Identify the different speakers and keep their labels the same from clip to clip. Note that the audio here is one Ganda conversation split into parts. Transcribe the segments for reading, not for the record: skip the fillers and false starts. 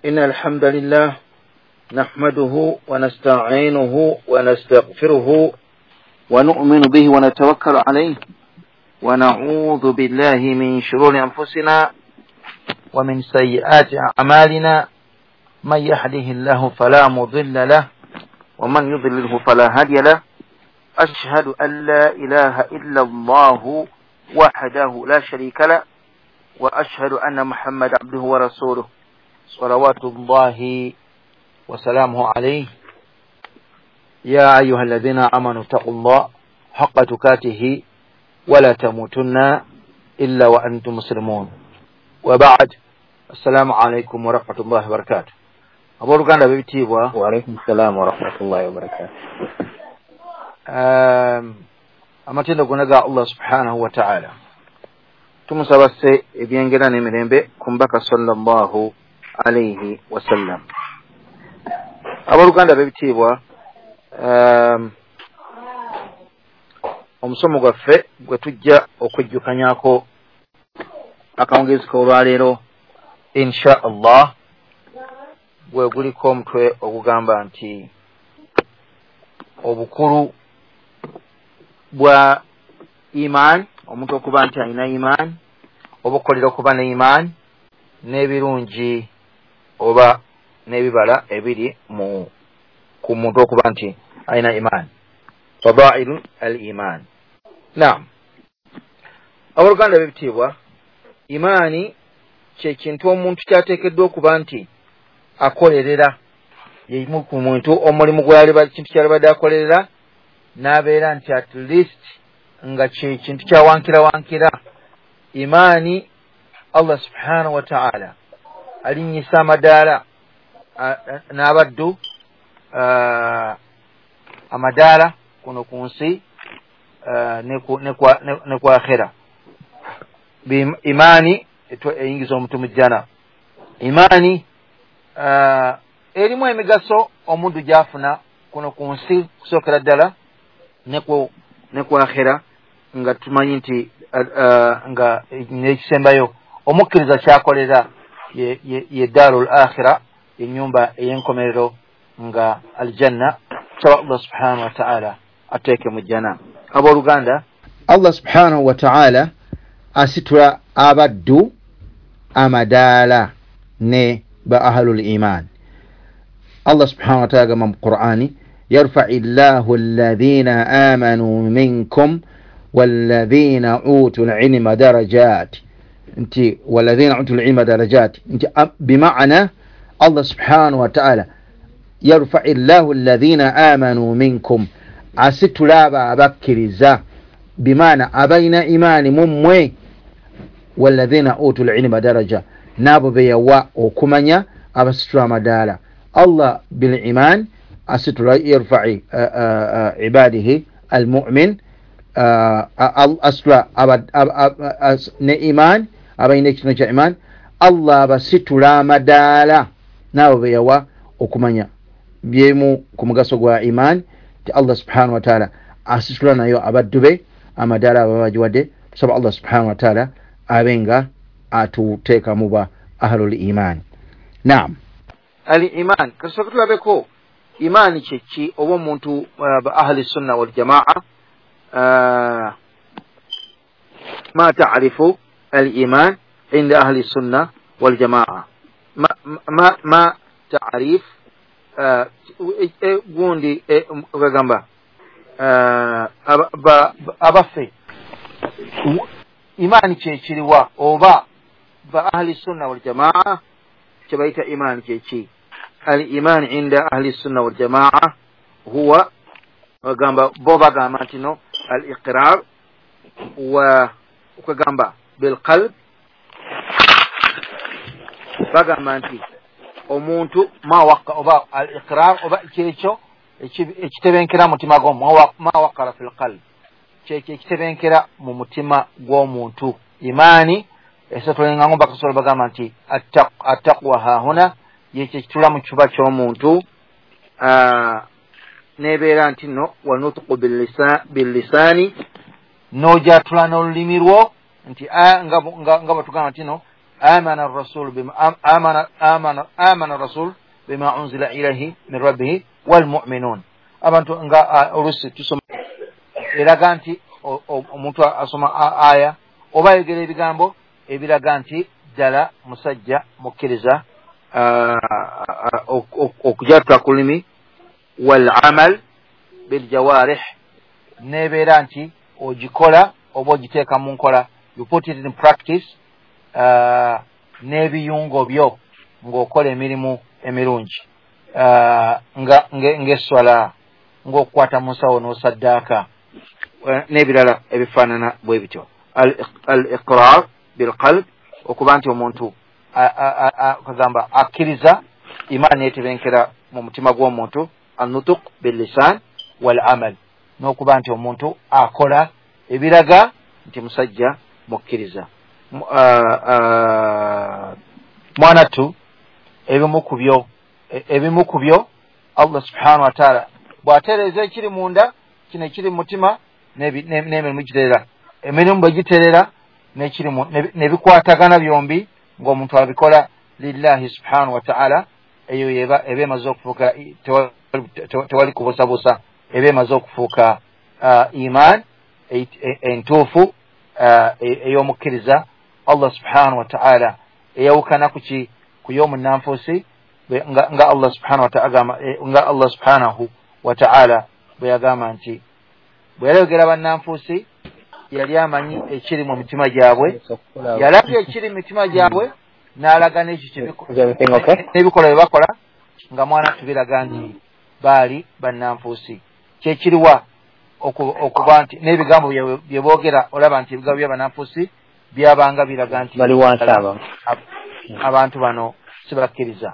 Speaker 1: إن الحمد لله نحمده ونستعينه ونستغفره ونؤمن به ونتوكل عليه ونعوذ بالله من شرور أنفسنا ومن سيئات أعمالنا من يهده الله فلا مضل له ومن يضلله فلا هادي له أشهد أن لا إله إلا الله وحده لا شريك له وأشهد أن محمد عبده ورسوله صلوات الله وسلامه عليه يا أيها الذين آمنوا اتقوا الله حق تقاته ولا تموتن إلا وأنتم مسلمون وبعد السلام عليكم ورحمة الله وبركاته. Abooluganda b'ebitiibwa.
Speaker 2: Waalaikum salaam warahmatullahi wabarakatuh.
Speaker 1: Amatendo gonna ga Allah subhanahu wa ta'ala. Tumusaba sse ebyengera n'emirembe ku mbaka sallallahu alaihi wasallam. Abooluganda b'ebitiibwa, omusomo gwaffe gwe tujja okwejjukanyako akawungeezi k'olwaleero insha Allah gwe guliko omutwe ogugamba nti obukulu bwa iman, omuntu okuba nti alina iman, oba okukolera okuba ne iman, n'ebirungi oba n'ebibala ebiri mu ku muntu okuba nti alina iman, fadailu al iman. Naam, abooluganda b'ebitiibwa, imaani kye kintu omuntu kyateekeddwa okuba nti akolerera. Yeimu ku muntu omulimu gw'aliba kintu kyalibadde akolerera n'abeera nti at least nga kye kintu kyawankira wankira. Imaani Allah subhanahu wa ta'ala alinnyisa amadaala n'abaddu amadaala kuno ku nsi ne ku akhera. Imaani eyingiza omuntu mu jjana. Imaani erimu emigaso omuntu gy'afuna kuno ku nsi kusookera ddala ne ku akhera, nga tumanyi nti nga n'ekisembayo omukkiriza kyakolera ye daarul akhira, ennyumba ey'enkomerero nga aljanna. Tusaba Allah subhanahu wa ta'ala ateeke mu jjana. Abooluganda, Allah subhanahu wa ta'ala asitula abaddu amadaala ne ba ahlul iman. Allah subhanahu wa ta'ala agamba mu Qur'ani, yarfa'i llahu alladhina amanu minkum walladhina utul ilma darajat, nti walladhina utul ilma darajat, nti bima'ana Allah subhanahu wa ta'ala yarfa'i llahu alladhina amanu minkum, asitula abo abakkiriza, bimaana abalina imaani mu mmwe, walladhina utul ilma daraja, n'abo be yawa okumanya abasitula amadaala. Allah bil iman asitula yarfa'i ibadihi almu'min, asitula ne iman abalina ekitono kya iman, Allah abasitula amadaala n'abo be yawa okumanya. Byemu ku mugaso gwa iman ti Allah subhanahu wa ta'ala asitula nayo abaddu be amadaala ababagiwadde. Tusaba Allah subhanahu wa ta'ala abe nga atuteeka mu ba ahlul iman. Naam, al iman kasooka tulabeko imaani kye ki, oba omuntu ba ahli sunna wal jamaa ma ta'rifu al iman inda ahli sunna wal jamaa, ma ta'rif gundi bagamba abaffe imaani kye kiriwa, oba ba ahli sunna wal jamaa kye bayita imaani kye ki. Al iman inda ahli sunna wal jamaa huwa bagamba bo bagamba nti no al iqrar wa okugamba bil qalb, bagamba nti omuntu ma waqqa oba al iqrar oba kyekyo ekitebenkera mutima gwo, ma waqara fil qalb, kyekyo ekitebenkera mu mutima gw'omuntu. Imaani esatulenga ngomba kasobola bagamba nti attaqwa hahuna, yekyo ekitula mu kifuba ky'omuntu, nebeera nti no wanutqu billisaani, n'ojatula n'olulimi lwo nti nga bwe tugamba nti no Amana rasul bima amana amana amana rasul bima unzila ilayhi min rabbihi walmuminun. Abantu nga olusi tusoma eraga nti omuntu asoma aya oba ayogera ebigambo ebiraga nti ddala musajja mukkiriza, okujatula ku lulimi, wal amal biljawarih, nebeera nti ogikola oba ogiteeka mu nkola, you put it in practice, n'ebiyungo byo ng'okola emirimu emirungi, ng'esswala, ng'okukwata mu nsawo n'osaddaaka, n'ebirala ebifaanana bwe bityo. Al iqrar bilqalb, okuba nti omuntu kagamba akkiriza, imaani yetebenkera mu mutima gw'omuntu, annutuq billisan wal amal, n'okuba nti omuntu akola ebiraga nti musajja mukkiriza. Mwanattu, ebimu ku byo Allah subhanahu wa ta'ala bw'atereeza ekiri munda, kino ekiri mu mutima, n'emirimu giterera, emirimu bwe giterera nebikwatagana byombi ng'omuntu abikola lillahi subhanahu wa ta'ala, eyo eba emaze okufuuka, tewali kubuusabuusa, eba emaze okufuuka iman entuufu ey'omukkiriza. Allah subhanahu wa ta'ala eyawukana kuki ku y'omunnanfuusi, nga Allah subhanahu wa ta'ala, nga Allah subhanahu wa ta'ala bwe yagamba nti bwe yayogera bannanfuusi yali amanyi ekiri mu mitima gyabwe, yalabye ekiri mu mitima gyabwe n'alaga n'ebikolwa bye bakola, nga mwana tubiraga nti baali bannanfuusi. Kyekiriwa okuba nti n'ebigambo bye boogera, olaba nti ebigambo by'abannanfuusi byabanga biraga nti abantu bano sibakkiriza.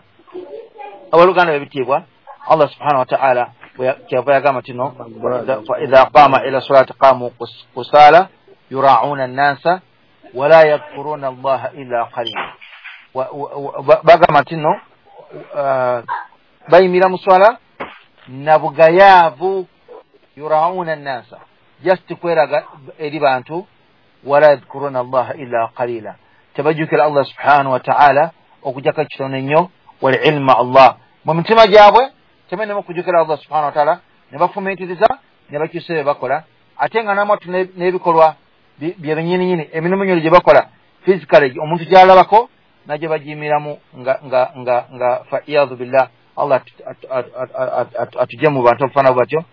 Speaker 1: Abooluganda b'ebitiibwa, Allah subhanahu wa ta'ala kyava yagamba nti no idha qama ila salati qamu kusala yura'una nnasa wala yadhkuruna allaha illa qalila. Bagamba nti no bayimira mu swala na bugayaavu, yura'una nnasa, just kweraga eri bantu, wala yadhkuruna allaha illa qalila, tebajjukira Allah subhanahu wa ta'ala okujjako kitono ennyo, wal ilma Allah mu mitima gyabwe temenemu kujjukira Allah subhanahu wa ta'ala, ne bafumiitiriza ne bakyusa bye bakola, ate nga namatu n'ebikolwa bye binnyininyini, emirimu nyoli gye bakola physically omuntu gy'alabako najye bagiyimiramu nga fa iyadhu billah, Allah atujje mu bantu abafaanana batyo,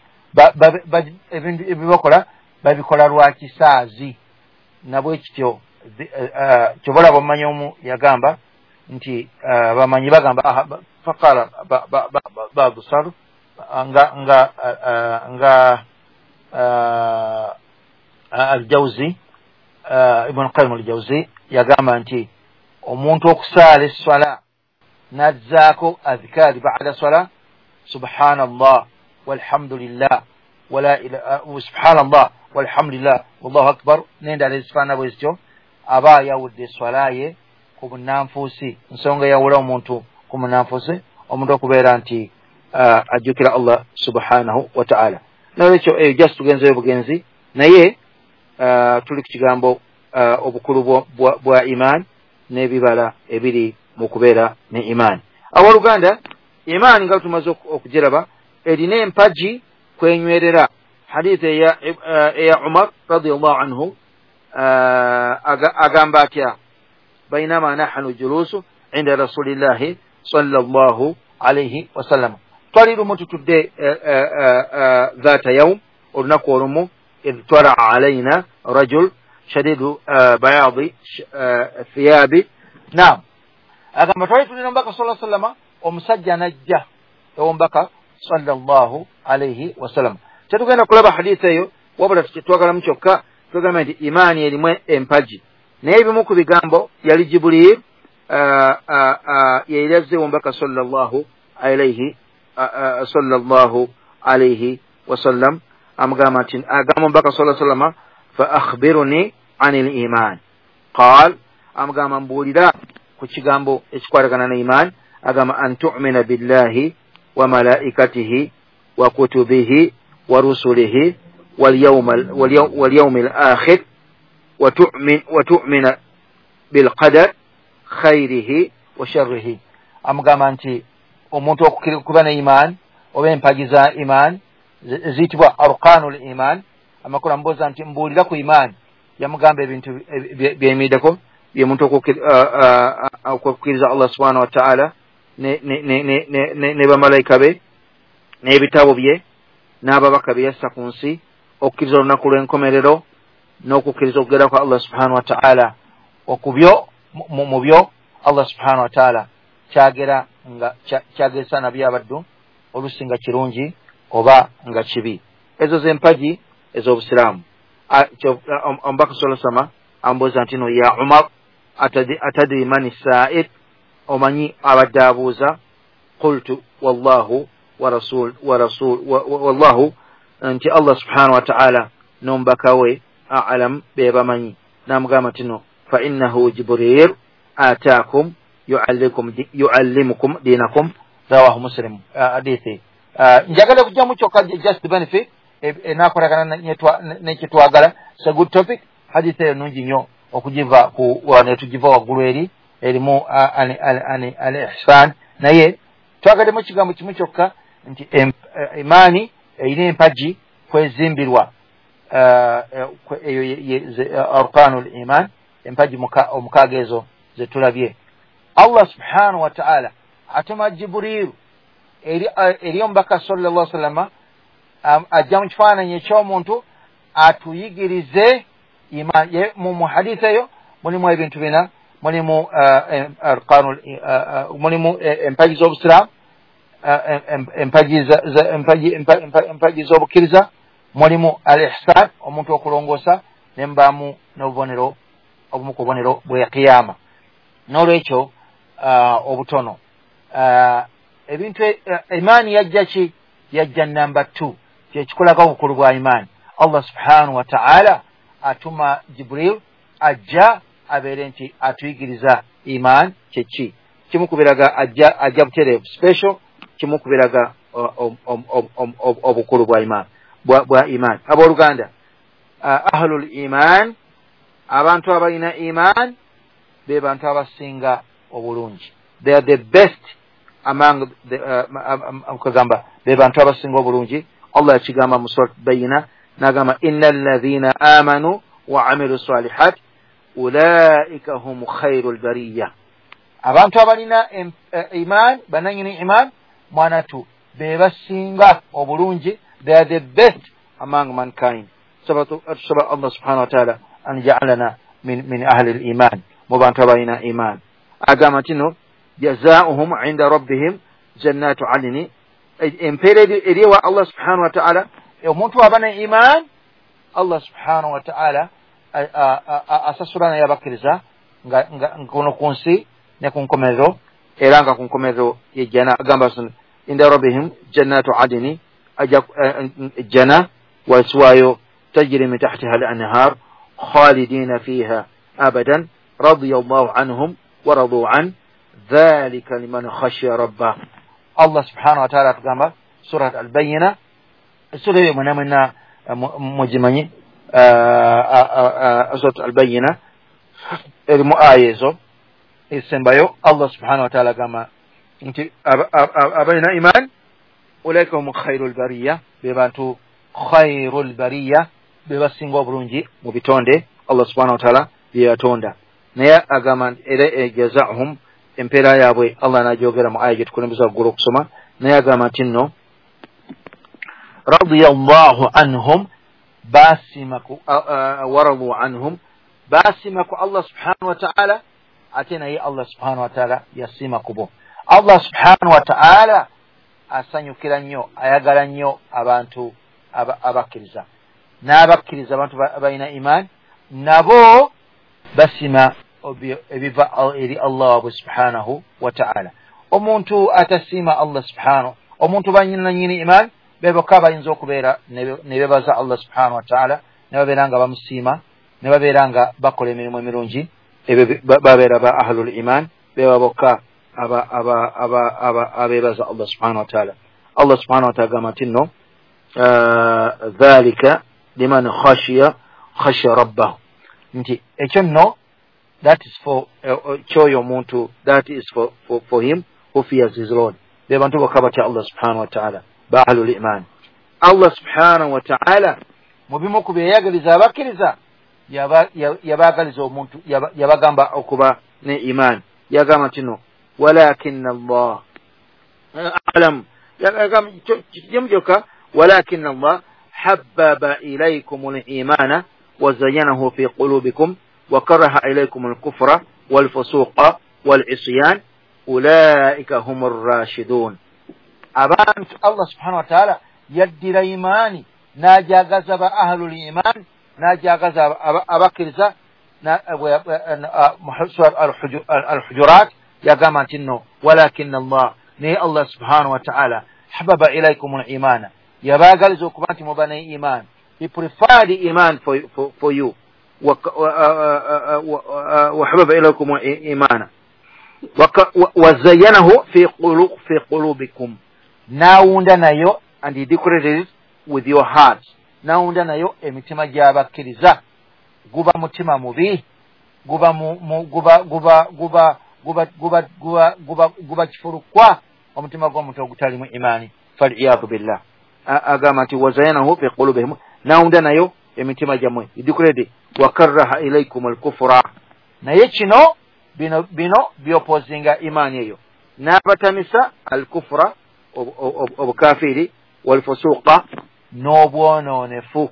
Speaker 1: ebintu ebibakola babikola lwa kisaazi. Nabwe kityo kyoba olaba omumanyi omu yagamba nti bamanyi bagamba faqala badu salu nga Aljawzi, Ibn Qayyim Aljawzi yagamba nti omuntu okusaala esswala n'azzaako adhikaari ba'da swala, subhanallah walhamdulillah wala subhanallah walhamdulillah wallahu akbar n'endala ezifaanana bwe zityo, aba ayawudde esswala ye ku bunnanfuusi. Nsonga eyawula omuntu ku munnanfuusi, omuntu okubeera nti ajjukira Allah subhanahu wa ta'ala. Nolwekyo eyo just tugenzeyo bugenzi, naye tuli ku kigambo obukulu bwa iman n'ebibala ebiri mu kubeera ne iman. Abooluganda, imaani nga tumaze okugiraba erina empagi kwenywerera. Hadith eya Umar radiyallahu anhu agamba atya, bainama nahnu julusu inda rasulillahi sallallahu alayhi wasallam, twali lumu tutudde dhata yaum, olunaku olumu, idh tara alayna rajul shadidu bayadi thiyabi. Naam, agamba twali tulina omubaka sallallahu alayhi wasallama, omusajja najja ew'omubaka sallallahu alayhi wasallam. Tetugenda kulaba hadith eyo, wabula twagalamu kyokka tugamba nti imaani erimu empagi. Naye ebimu ku bigambo yali Jibril yeyali azze ew'omubaka sallallahu alayhi wasallam, amugamba nti agamba omubaka sallallahu alayhi wasallama fa akhbiruni anil iman, qal, amugamba mbuulira ku kigambo ekikwatagana ne iman, agamba an tu'mina billahi wa malaikatihi wa kutubihi wa rusulihi wal yawmil akhir wa tu'mina bil qadar Khairihi wa sharrihi. Amugamba nti omuntu okuba ne iman oba empagi za iman ziyitibwa arkanul iman. Amakulu amubuuza nti mbuulira ku iman, yamugamba ebintu byeyimiddeko byemuntu okukkiriza Allah subhanahu wataala ne bamalayika be n'ebitabo bye n'ababaka bye yassa ku nsi, okukkiriza olunaku lw'enkomerero n'okukkiriza okugera kwa Allah subhanahu wataala okubyo mu byo Allah subhanahu wataala kyagera nga kyagesa nabyo abaddu olusi nga kirungi oba nga kibi. Ezo zempagi ez'obusiraamu. Omubaka sallallahu alaihi wasallam ambuuza nti no ya Umar atadri mani sa'il, omanyi abadde abuuza? Qultu wallahu wa rasul wa rasul wallahu, nti Allah subhanahu wa ta'ala n'omubaka we a'lam be bamanyi. N'amugamba nti no fa innahu Jibril ataakum yuallimukum dinakum, rawahu Muslim. Hadithi njagala kujjamu kyokka just benefit enakolagana nekyetwagala. It's a good topic. Hadithi eyo nungi nnyo okugiva ku netugiva waggulu eri erimu al ihsan, naye twagaddemu ekigambo kimu kyokka nti imaani erina empagi kwezimbirwa, eyo arkanul iman, empagi omukaaga ezo zetulabye. Allah subhanahu wa ta'ala atuma Jibril eri omubaka sallallahu alaihi wasallam, ajja mu kifaananyi eky'omuntu atuyigirize iman. Mu hadisi eyo mulimu ebintu bina, mulimu arkanul, mulimu empagi z'obusiraamu, empagi z'obukkiriza, mulimu al ihsan, omuntu okulongoosa, nembaamu n'obubonero obumu ku bubonero bwe kiyama. N'olwekyo obutono ebintu imaani yajja ki? Yajja namba 2, kyekikolaga obukulu bwa imaani. Allah subhanahu wa ta'ala atuma Jibril ajja abeere nti atuyigiriza imaan kyeki. Kimu kubiraga ajja butereevu special, kimu kubiraga obukulu bwa imaan bwa imaan. Abooluganda, ahlul iman, abantu abalina iman be bantu abasinga obulungi. They are the best among the kugamba be bantu abasinga obulungi. Allah yakigamba mu surat Bayina n'agamba innal ladhina amanu wa amilu salihat ulaika hum khairul bariyya. Abantu abalina iman, bananyini iman, mwanatu be basinga obulungi. They are the best among mankind. Tusaba Allah subhanahu wa ta'ala an ja'alana min ahli al-iman, mu bantu abalina iman. Agamba nti no jazaohum inda rabbihim jannatu adni, empeera eri ewa Allah subhanahu wa ta'ala. Omuntu aba ne iman, Allah subhanahu wa ta'ala asasula naye abakkiriza nga kuno ku nsi ne ku nkomerero, era nga ku nkomerero yejjana. Agamba inda rabbihim jannatu adni, ajja jana wasiwayo tajri min tahtiha al-anhar khalidina fiha abadan radiyallahu anhum wa radu an dhalika liman khashiya rabbah. Allah subhanahu wa ta'ala atugamba surat al-Bayyina, sura eyo mwena mwena mugimanyi, surat al-Bayyina erimu aya ezo esembayo. Allah subhanahu wa ta'ala agamba nti abalina iman ulaika hum khairul bariyya, be bantu khairul bariyya, be basinga obulungi mu bitonde Allah subhanahu wa ta'ala bye yatonda. Naye agamba era jazaahum, empeera yaabwe Allah n'agyogera mu aya gye tukulembeza waggulu okusoma. Naye agamba nti nno radiyallahu anhum, baasima ku waradu anhum, baasima ku Allah subhanahu wa ta'ala, ate naye Allah subhanahu wa ta'ala yasiima ku bo. Allah subhanahu wa ta'ala asanyukira nnyo, ayagala nnyo abantu abakkiriza, n'abakkiriza abantu balina iman nabo basima ebiva eri Allah waabwe subhanahu wa ta'ala. Omuntu atasiima Allah subhanahu, omuntu banyinanyini iman be bokka bayinza okubeera ne beebaza Allah subhanahu wa ta'ala, ne babeera nga bamusiima, ne babeera nga bakola emirimu emirungi, ebyo babeera ba ahlul iman, beba bokka abeebaza Allah subhanahu wa ta'ala. Allah subhanahu wa ta'ala agamba nti nno dhalika liman khashiya rabbahu, nti ekyo nno That is for kyoyo omuntu, that is for him who fears his Lord. Be bantu bokka batya Allah subhanahu wa ta'ala, ba ahlul iman. Allah subhanahu wa ta'ala mu bimu ku byeyagaliza abakkiriza, yabaagaliza omuntu, yabagamba okuba ne iman. Yagamba nti no, walakinna Allah alam, kijemu kyokka, walakinna Allah habbaba ilaykum al-imana wa zayyanahu fi qulubikum wa karaha ilaykum al-kufra wal-fusuqa wal-isyan ulaika humur rashidun. Abantu Allah subhanahu wa ta'ala yaddira imaani n'ajagaza ba ahlul iman, n'ajagaza abakkiriza. Al-Hujurat yagamba nti nno, walakinna Allah, naye Allah subhanahu wa ta'ala hababa ilaykum al-imana, yabaagaliza okuba nti muba ne iman. He preferred iman for you, wa hababa ilaykum al-imana wa zayyanahu fi qulubikum, n'awunda nayo, and he decorated it with your hearts, n'awunda nayo emitima gy'abakkiriza. Guba mutima mubi, guba guba guba guba guba guba guba guba guba kifulukwa, omutima gw'omuntu ogutalimu imaani, faliyadu billah. Agamba nti wazayanahu fi qulubihim, n'awunda nayo emitima gyammwe, he decorated, wa karaha ilaykum al-kufra. Naye kino bino byopozinga imaani eyo, n'abatamisa al-kufra, obukafiiri, walfusuqa, n'obwonoonefu,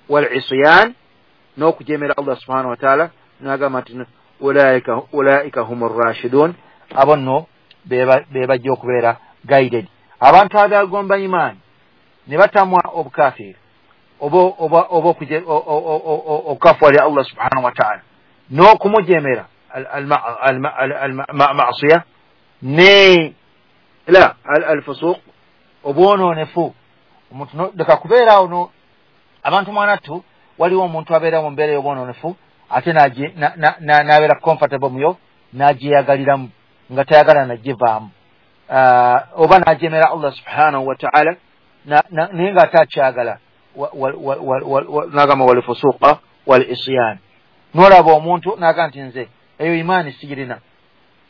Speaker 1: wal-isyan, n'okujemera Allah subhanahu wa ta'ala. N'agamba nti ulaika humur rashidun, abo nno be bajja okubeera guided. Abantu abagomba imaani ne batamwa obukafiiri oba okukafuwalira Allah subhanahu wa ta'ala n'okumujemera al-ma'siya ne la al-fusuq, obwonoonefu. Omuntu leka kubeera awo abantu mwanattu, waliwo omuntu abeera mu mbeera y'obwonoonefu ate n'abeera comfortable muyo, n'agyeyagaliramu nga tayagala nagivaamu, oba n'ajemera Allah subhanahu wa ta'ala naye nga ate akyagala, n'agamba wal-fusuqa wal-isyan. N'olaba omuntu n'agamba nti nze eyo imaani sigirina,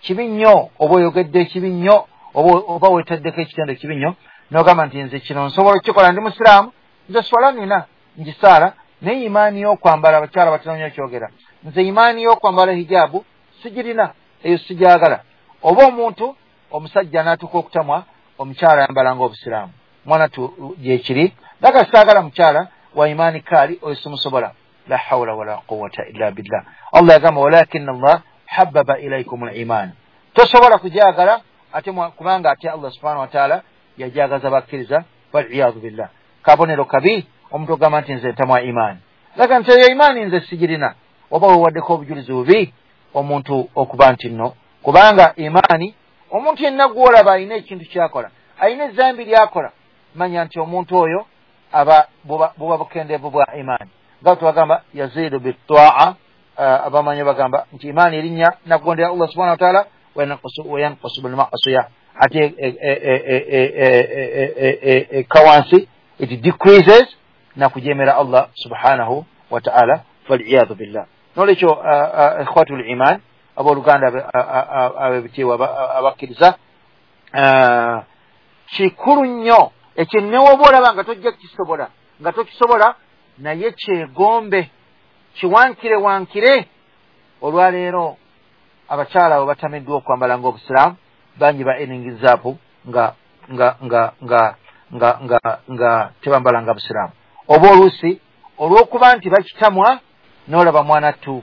Speaker 1: kibi nnyo, oba oyogedde kibi nnyo, oba weetaddeko ekitendo kibi nnyo, n'ogamba nti nze kino nsobola okukikola, ndi musiraamu, nze swala nina ngisaala, naye imaani y'okwambala, abakyala batera nnyo okyogera, nze imaani y'okwambala hijaabu sigirina, eyo sigyagala. Oba omuntu omusajja n'atuuka okutamwa omukyala ayambala ng'obusiraamu, mwana tu gyekiri, laka saagala mukyala wa imaani kaali, oyo simusobola. La hawla wala quwwata illa billah. Allah yagamba walakinna Allah habbaba ilaykum al-iman, tosobola kugyagala ate kubanga ate Allah subhanahu wa ta'ala yajagaza bakkiriza, waliyadu billah. Kabonero kabi omuntu ogamba nti nze ntamwa imaani, laka nti eyo imaani nze sigirina, oba wewaddeko obujulizi bubi omuntu okuba nti nno, kubanga imaani omuntu yenna gw'olaba alina ekintu kyakola, alina ezambi lyakola, manya nti omuntu oyo aba buba bukendeevu bwa imaani. Nga tubagamba yaziidu bittaa, abamanyi bagamba nti imaani erinnya nakugondera Allah subhanahu wa ta'ala, wayanqusu bilma'siya, ate kawansi, it decreases nakujemera Allah subhanahu wa ta'ala, faliyadu billah. Nolwekyo ikhwatul iman, abooluganda ab'ebitiibwa abakkiriza, kikulu nnyo ekyo newoba olaba nga tojja kukisobola, nga tokisobola, naye kyegombe, kiwankire wankire. Olwaleero abakyala abo batamiddwa okwambala ng'obusiraamu, bangi ba eningizaapu nga nga nga nga nga nga nga tebambala nga busiraamu, oba oluusi olw'okuba nti bakitamwa, n'olaba mwana ttu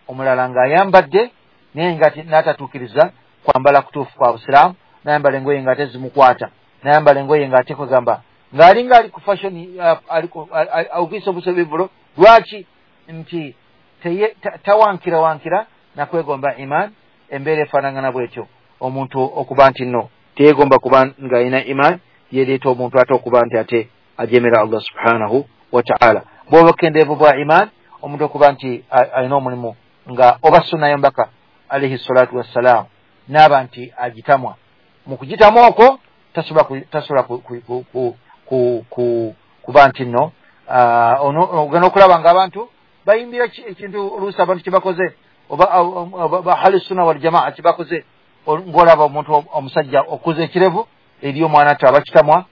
Speaker 1: omulala ng'ayambadde naye nga n'atatuukiriza kwambala kutuufu kwa busiraamu, n'ayambala engoye ng'ate zimukwata, n'ayambala engoye ng'ate kwegamba ng'alinga ali ku fashion, awugisa obuso bivulo. Lwaki? Nti tawankira wankira nakwegomba iman. Embeera efaanagana bwetyo, omuntu okuba nti nno teyeegomba kuba ng'alina iman, yereeta omuntu ate okuba nti ate ajemera Allah subhanahu wa ta'ala. Bw'oba okendeevu bwa iman, omuntu okuba nti alina omulimu nga oba sunna y'omubaka alayhi salatu wassalam, n'aba nti agitamwa, mu kugitamwa okwo tasobola kuba nti nno ogenda okulaba ng'abantu Bayimbira ekintu oluusi abantu kyebakoze oba bahali sunna wal jamaa kyebakoze, ng'olaba omuntu omusajja okuza ekirevu eri omwana ati abakitamwa,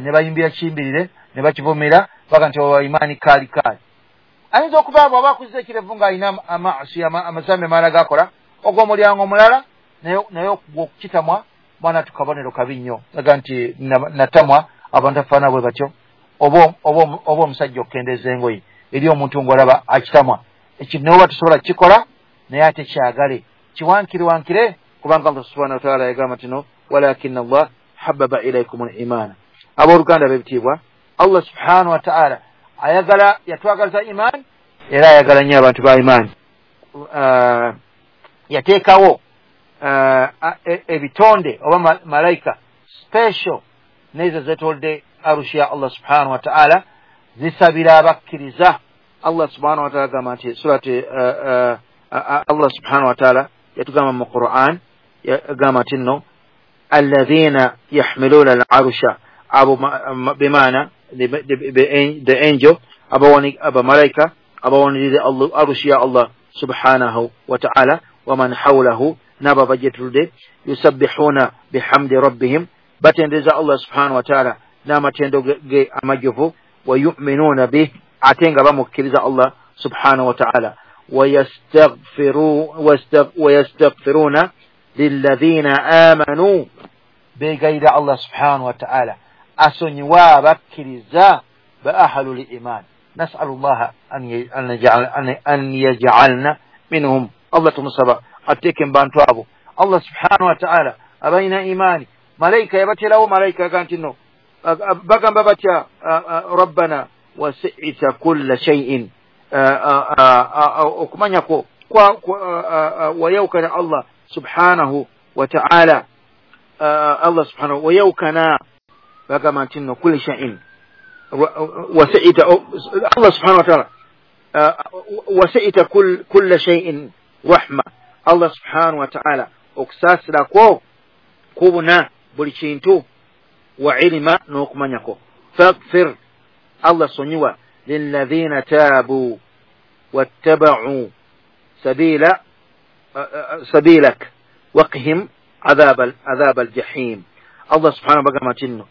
Speaker 1: ne bayimbira kiyimbirire ne bakivumira baga nti imaani kaali kaali. Ayinza okuba bw'aba akuza ekirevu ng'alina amaasi amazambi amalala gakola ogw'omulyango omulala, naye okukitamwa mwana tukabonero kabi nnyo, aga nti natamwa abantu afaana bwe batyo. Oba omusajja okukendeeza engoye eri omuntu ng'olaba akitamwa, ekintu naye oba tusobola kukikola naye ate kyagale kiwankire wankire, kubanga Allah subhanahu wa ta'ala yagamba nti no walakinna Allah hababa ilaykum al-imana. Abooluganda b'ebitiibwa, Allah subhanahu wa ta'ala ayagala, yatwagaliza iman era ayagala nnyo abantu ba iman. Yateekawo ebitonde oba malayika special nezo zetolde arushi ya Allah subhanahu wa ta'ala, zisabira abakkiriza. Allah subhanahu wa ta'ala agamba nti surati Allah subhanahu wa ta'ala yatugamba mu Quran, yagamba nti nno alladhina yahmiluna al-arusha, abo bimaana the angel, abamalayika abawanirire arushi ya Allah subhanahu wa ta'ala, waman hawlahu, n'abo abajetuludde, yusabbihuna bihamdi rabbihim, batendereza Allah subhanahu wa ta'ala n'amatendo ge amajjuvu, wa yu'minuna bih, ate nga bamukkiriza Allah subhanahu wa ta'ala, wayastaghfiruna lilladhina amanu, beegayirira Allah subhanahu wa ta'ala asonyiwa abakkiriza ba ahlul iman. Nas'alu llaha an yaj'alna minhum. Allah tumusaba ateeke mu bantu abo. Allah subhanahu wa ta'ala abalina imaani, malayika yabaterawo, malayika aga nti no bagamba batya rabbana wasi'ta kulla shay'in, okumanya kwo wayawukana Allah subhanahu wa ta'ala, Allah subhanahu wayawukana bagamba nti nno kulli shay'in wasi'ta, Allah subhanahu wa ta'ala wasi'ta kulla shay'in rahma. Allah subhanahu wa ta'ala okusaasira kwo kubuna buli kintu, wa ilima n'okumanya kwo. Faghfir, Allah sonyiwa lilladhina taabu wattaba'u sabilak waqihim adhab aljahim. Allah subhanahu bagamba nti nno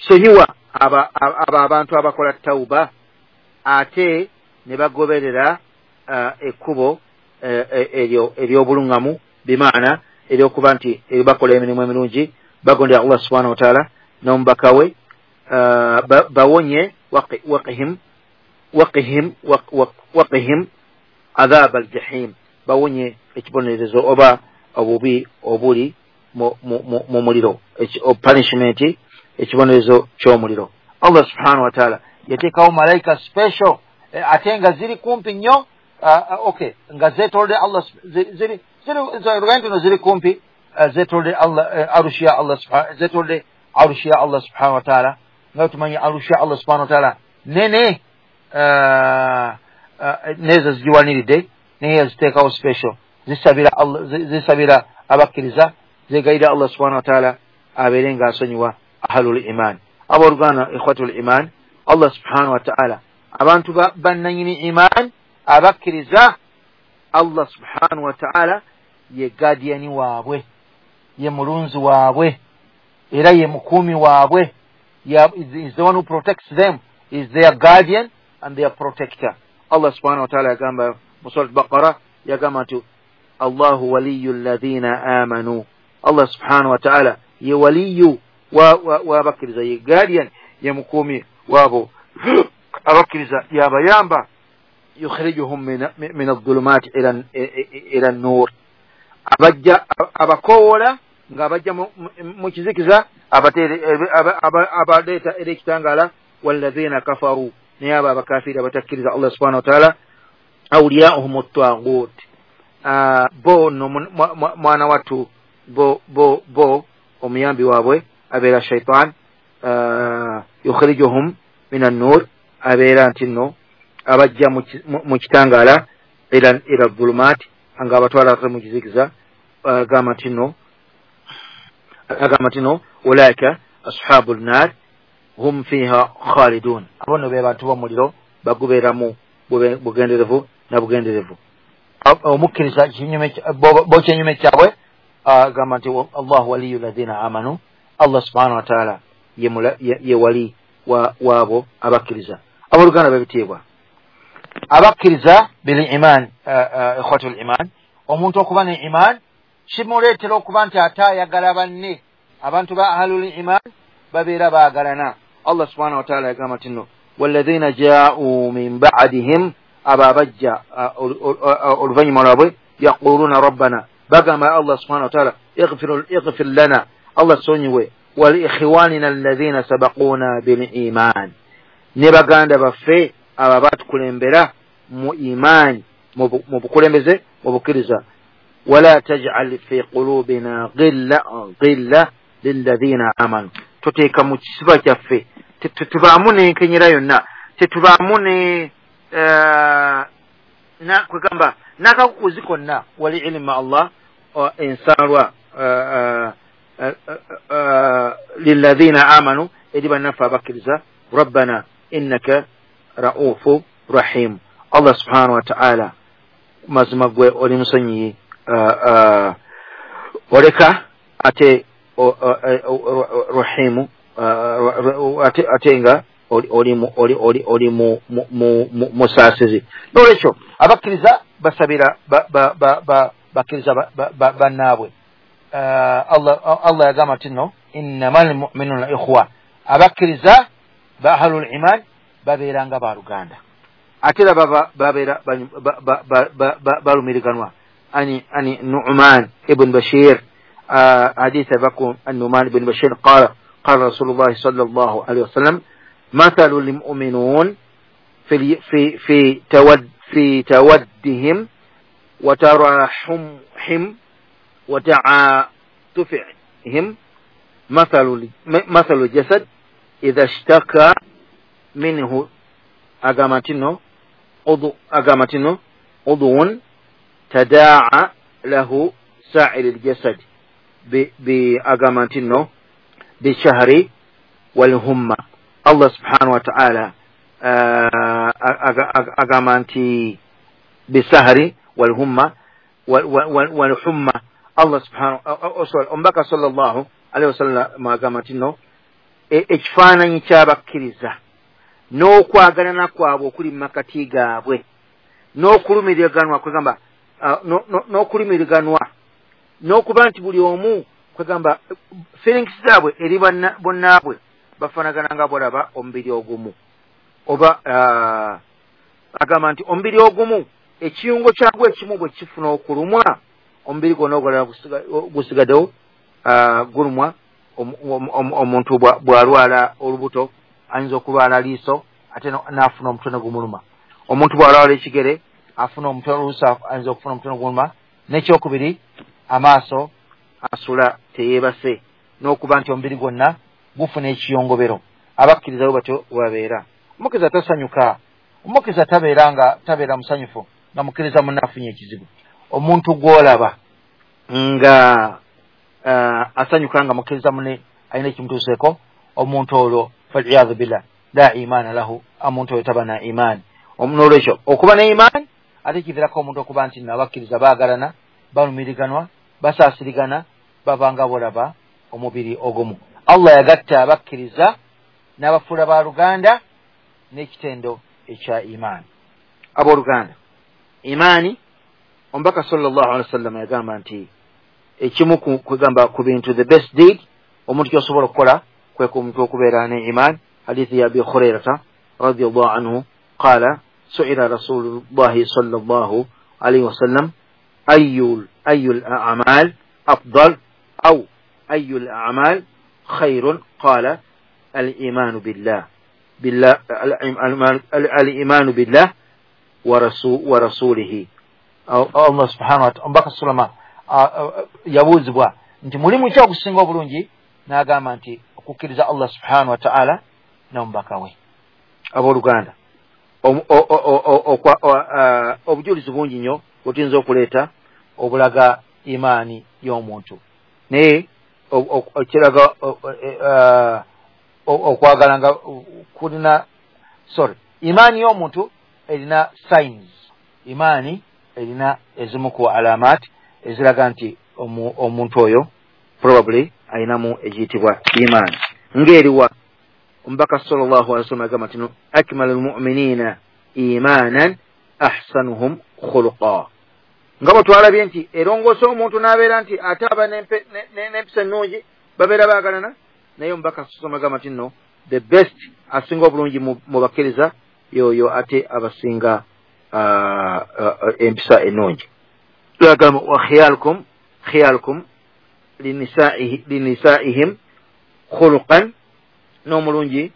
Speaker 1: sonyiwa abo abantu abakola tawuba ate ne bagoberera ekkubo ery'obulungamu, bimaana eryokuba nti bakola emirimu emirungi, bagondera Allah subhanahu wa ta'ala n'omubaka we, bawonye waqihim adhab aljahim, bawonye ekibonerezo oba obubi obuli mu muliro, punishment, ekibonerezo ky'omuliro. Allah subhanahu wa ta'ala yateekawo malayika special ate nga ziri kumpi nnyo, okay, nga zeetolodde Allah, ziri ziri ziri kumpi, zeetolodde Allah arushi ya Allah zeetolodde arushi ya Allah subhanahu wa ta'ala. Nga tumanyi arushi ya Allah subhanahu wa ta'ala nene, nezo zigiwaniridde, naye yaziteekawo special, zisabira Allah, zisabira abakkiriza, zegayirira Allah subhanahu wa ta'ala abeere nga asonyiwa ahlul iman. Abooluganda ikhwatul iman, Allah subhanahu wa ta'ala abantu bannanyini iman abakkiriza, Allah subhanahu wa ta'ala ye guardian waabwe, ye mulunzi waabwe, era ye mukuumi waabwe. Is the one who protects them, is their guardian and their protector. Allah subhanahu wa ta'ala yagamba mu Surat Baqara, yagamba nti Allahu waliyu alladhina amanu. Allah subhanahu wa ta'ala ye waliyu w'abakkiriza, ye guardian, ye mukuumi waabo abakkiriza, yabayamba, yukhrijuhum min adh-dhulumati ila an-nur, abajja abakoowola ng'abajja mu kizikiza, abaleeta eri ekitangaala. Walladhina kafaru, naye abo abakafiiri abatakkiriza Allah subhanahu wa ta'ala, awliyauhum at-taghut, bo no mwana wattu bo omuyambi waabwe abeera shaitan, yukhrijuhum min an-nur, abeera nti nno abajja mu kitangaala ila dhulumat, nga abatwala mu kizikiza. Agamba nti nno ulaika ashabul nar, Hum fiha khalidun, abo nno be bantu b'omuliro, bagubeeramu bugenderevu na bugenderevu. Omukkiriza bo kyenyume kyabwe agamba nti Allahu waliyu ladhina amanu, Allah subhanahu wataala ye wali waabo abakkiriza. Abooluganda b'ebitiibwa, abakkiriza bil iman, ikhwatul iman, omuntu okuba ne iman kimuleetera okuba nti ate ayagala banne. Abantu ba ahlul iman babeera baagalana. Allah subhanahu wataala yagamba nti nno walladhina jaa'u min ba'dihim, abo abajja oluvannyuma lwabwe, yaquluna rabbana, bagamba Allah subhanahu wataala ighfir lana, Allah sonyiwe, waliikhwanina alladhina sabaquna bil iman, ne baganda baffe abo abatukulembera mu imaani, mu bukulembeze, mu bukkiriza. Wala taj'al fi qulubina ghilla lilladhina amanu, toteeka mu kisiba kyaffe, tetubaamu n'enkenyera yonna, tetubaamu ne kwegamba n'akakukuzi konna. Wali ilmu Allah ensalwa lilladhina amanu, eri bannaffe abakkiriza. Rabbana innaka ra'ufu rahim, Allah subhanahu wa ta'ala mazima gwe oli musonyiyi oleka, ate rahimu, ate nga oli musaasizi. Nolwekyo abakkiriza basabira bakkiriza bannaabwe. Allah yagamba nti nno innamal mu'minuna ikhwa, abakkiriza ba ahlul iman babeera nga baluganda, ate era babeera balumiriganwa. Ani Nu'man ibn Bashir, حديث بكم النعمان بن بشير قال قال رسول الله صلى الله عليه وسلم مثل المؤمنون في في في تود في تودهم وتراحمهم وتعاطفهم مثل الجسد إذا اشتكى منه أقامتنه عضو تداعى له سائر الجسد بأقامتنه بالشهر والهمة. الله سبحانه وتعالى أقامتي بالسهر والهمة والحمى. الله سبحانه omubaka sallallahu alaihi wasallam agamba nti nno ekifaananyi ky'abakkiriza n'okwagalana kwabwe okuli mu makati gaabwe n'okulumiriganwa, kwegamba n'okulumiriganwa n'okuba nti buli omu kwegamba feelings zaabwe eri bonnaabwe bafaanagana nga bolaba omubiri ogumu. Oba agamba nti omubiri ogumu ekiyungo kyagwo ekimu bwe kifuna okulumwa, omubiri gwonna ogulala gusigaddewo gulumwa. Omuntu bw'alwala olubuto ayinza okulwala liiso ate n'afuna omutwe ne gumuluma. Omuntu bw'alwala ekigere afuna omutwe, oluusi ayinza okufuna omutwe ne gumuluma. N'ekyokubiri, amaaso asula teyeebase, n'okuba nti omubiri gwonna gufuna ekiyongobero. Abakkiriza bwe batyo babeera. Omukkiriza tasanyuka, omukkiriza tabeera nga tabeera musanyufu nga mukkiriza munne afunye ekizibu. Omuntu gw'olaba nga asanyuka nga mukkiriza munne alina ekimutuuseeko, omuntu olwo faliyadhu billah la imaana lahu, omuntu oyo taba na imaani. N'olwekyo okuba ne imaani ate kiviirako omuntu okuba nti nno abakkiriza baagalana, balumiriganwa, basaasirigana, baba nga bolaba omubiri ogumu. Allah yagatta abakkiriza n'abafuula baluganda n'ekitendo ekya imaani. Abooluganda, imaani omubaka sallallahu alaihi wasallam yagamba nti ekimu kwegamba ku bintu the best deed omuntu ky'osobola okukola kwe ku muntu okubeera ne imaani. Hadithi ya Abi Hurairata radiyallahu anhu qala su'ila rasulullahi sallallahu alaihi wasallam ayyul a'mal afdal aw ayyul a'mal khairun qala al-imanu billah al-imanu billah wa rasulihi. Allah subhanahu wa ta'ala omubaka sallama yabuuzibwa nti mulimu ki ogusinga obulungi, n'agamba nti okukkiriza Allah subhanahu wa ta'ala n'omubaka we. Abooluganda, obujulizi bungi nnyo bwe tuyinza okuleeta obulaga imaani y'omuntu, naye ekiraga Okwagala nga kulina, sorry, imaani y'omuntu erina signs, imaani erina ezimu ku alamat eziraga nti omuntu oyo probably ayinamu egiyitibwa imaani. Ng'eriwa omubaka sallallahu alaihi wasallam agamba nti akmalul mu'minina imanan ahsanuhum khuluqa. Nga bwe twalabye nti erongoosa omuntu n'abeera nti ate aba n'empisa ennungi, babeera baagalana, naye omubaka sallallahu agamba nti nno the best, asinga obulungi mu bakkiriza yoyo ate abasinga empisa ennungi. Agamba wa khiyalukum linisaihim khuluqan, n'omulungi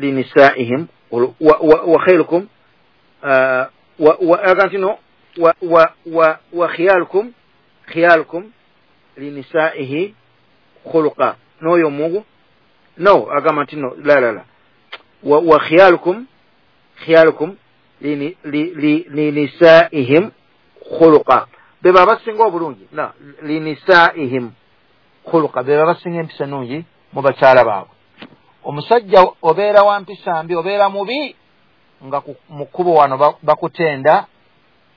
Speaker 1: linisaihim wa khairukum wa nti no wa khiyalukum linisaihi khuluqa, n'oyo omungu no agamba nti no la wa khiyalukum linisaihim khuluqa, beba abasinga obulungi na linisaihim khuluqa, beba abasinga empisa ennungi mu bakyala baabwe. Omusajja obeera wa mpisa mbi, obeera mubi nga mu kkubo wano bakutenda,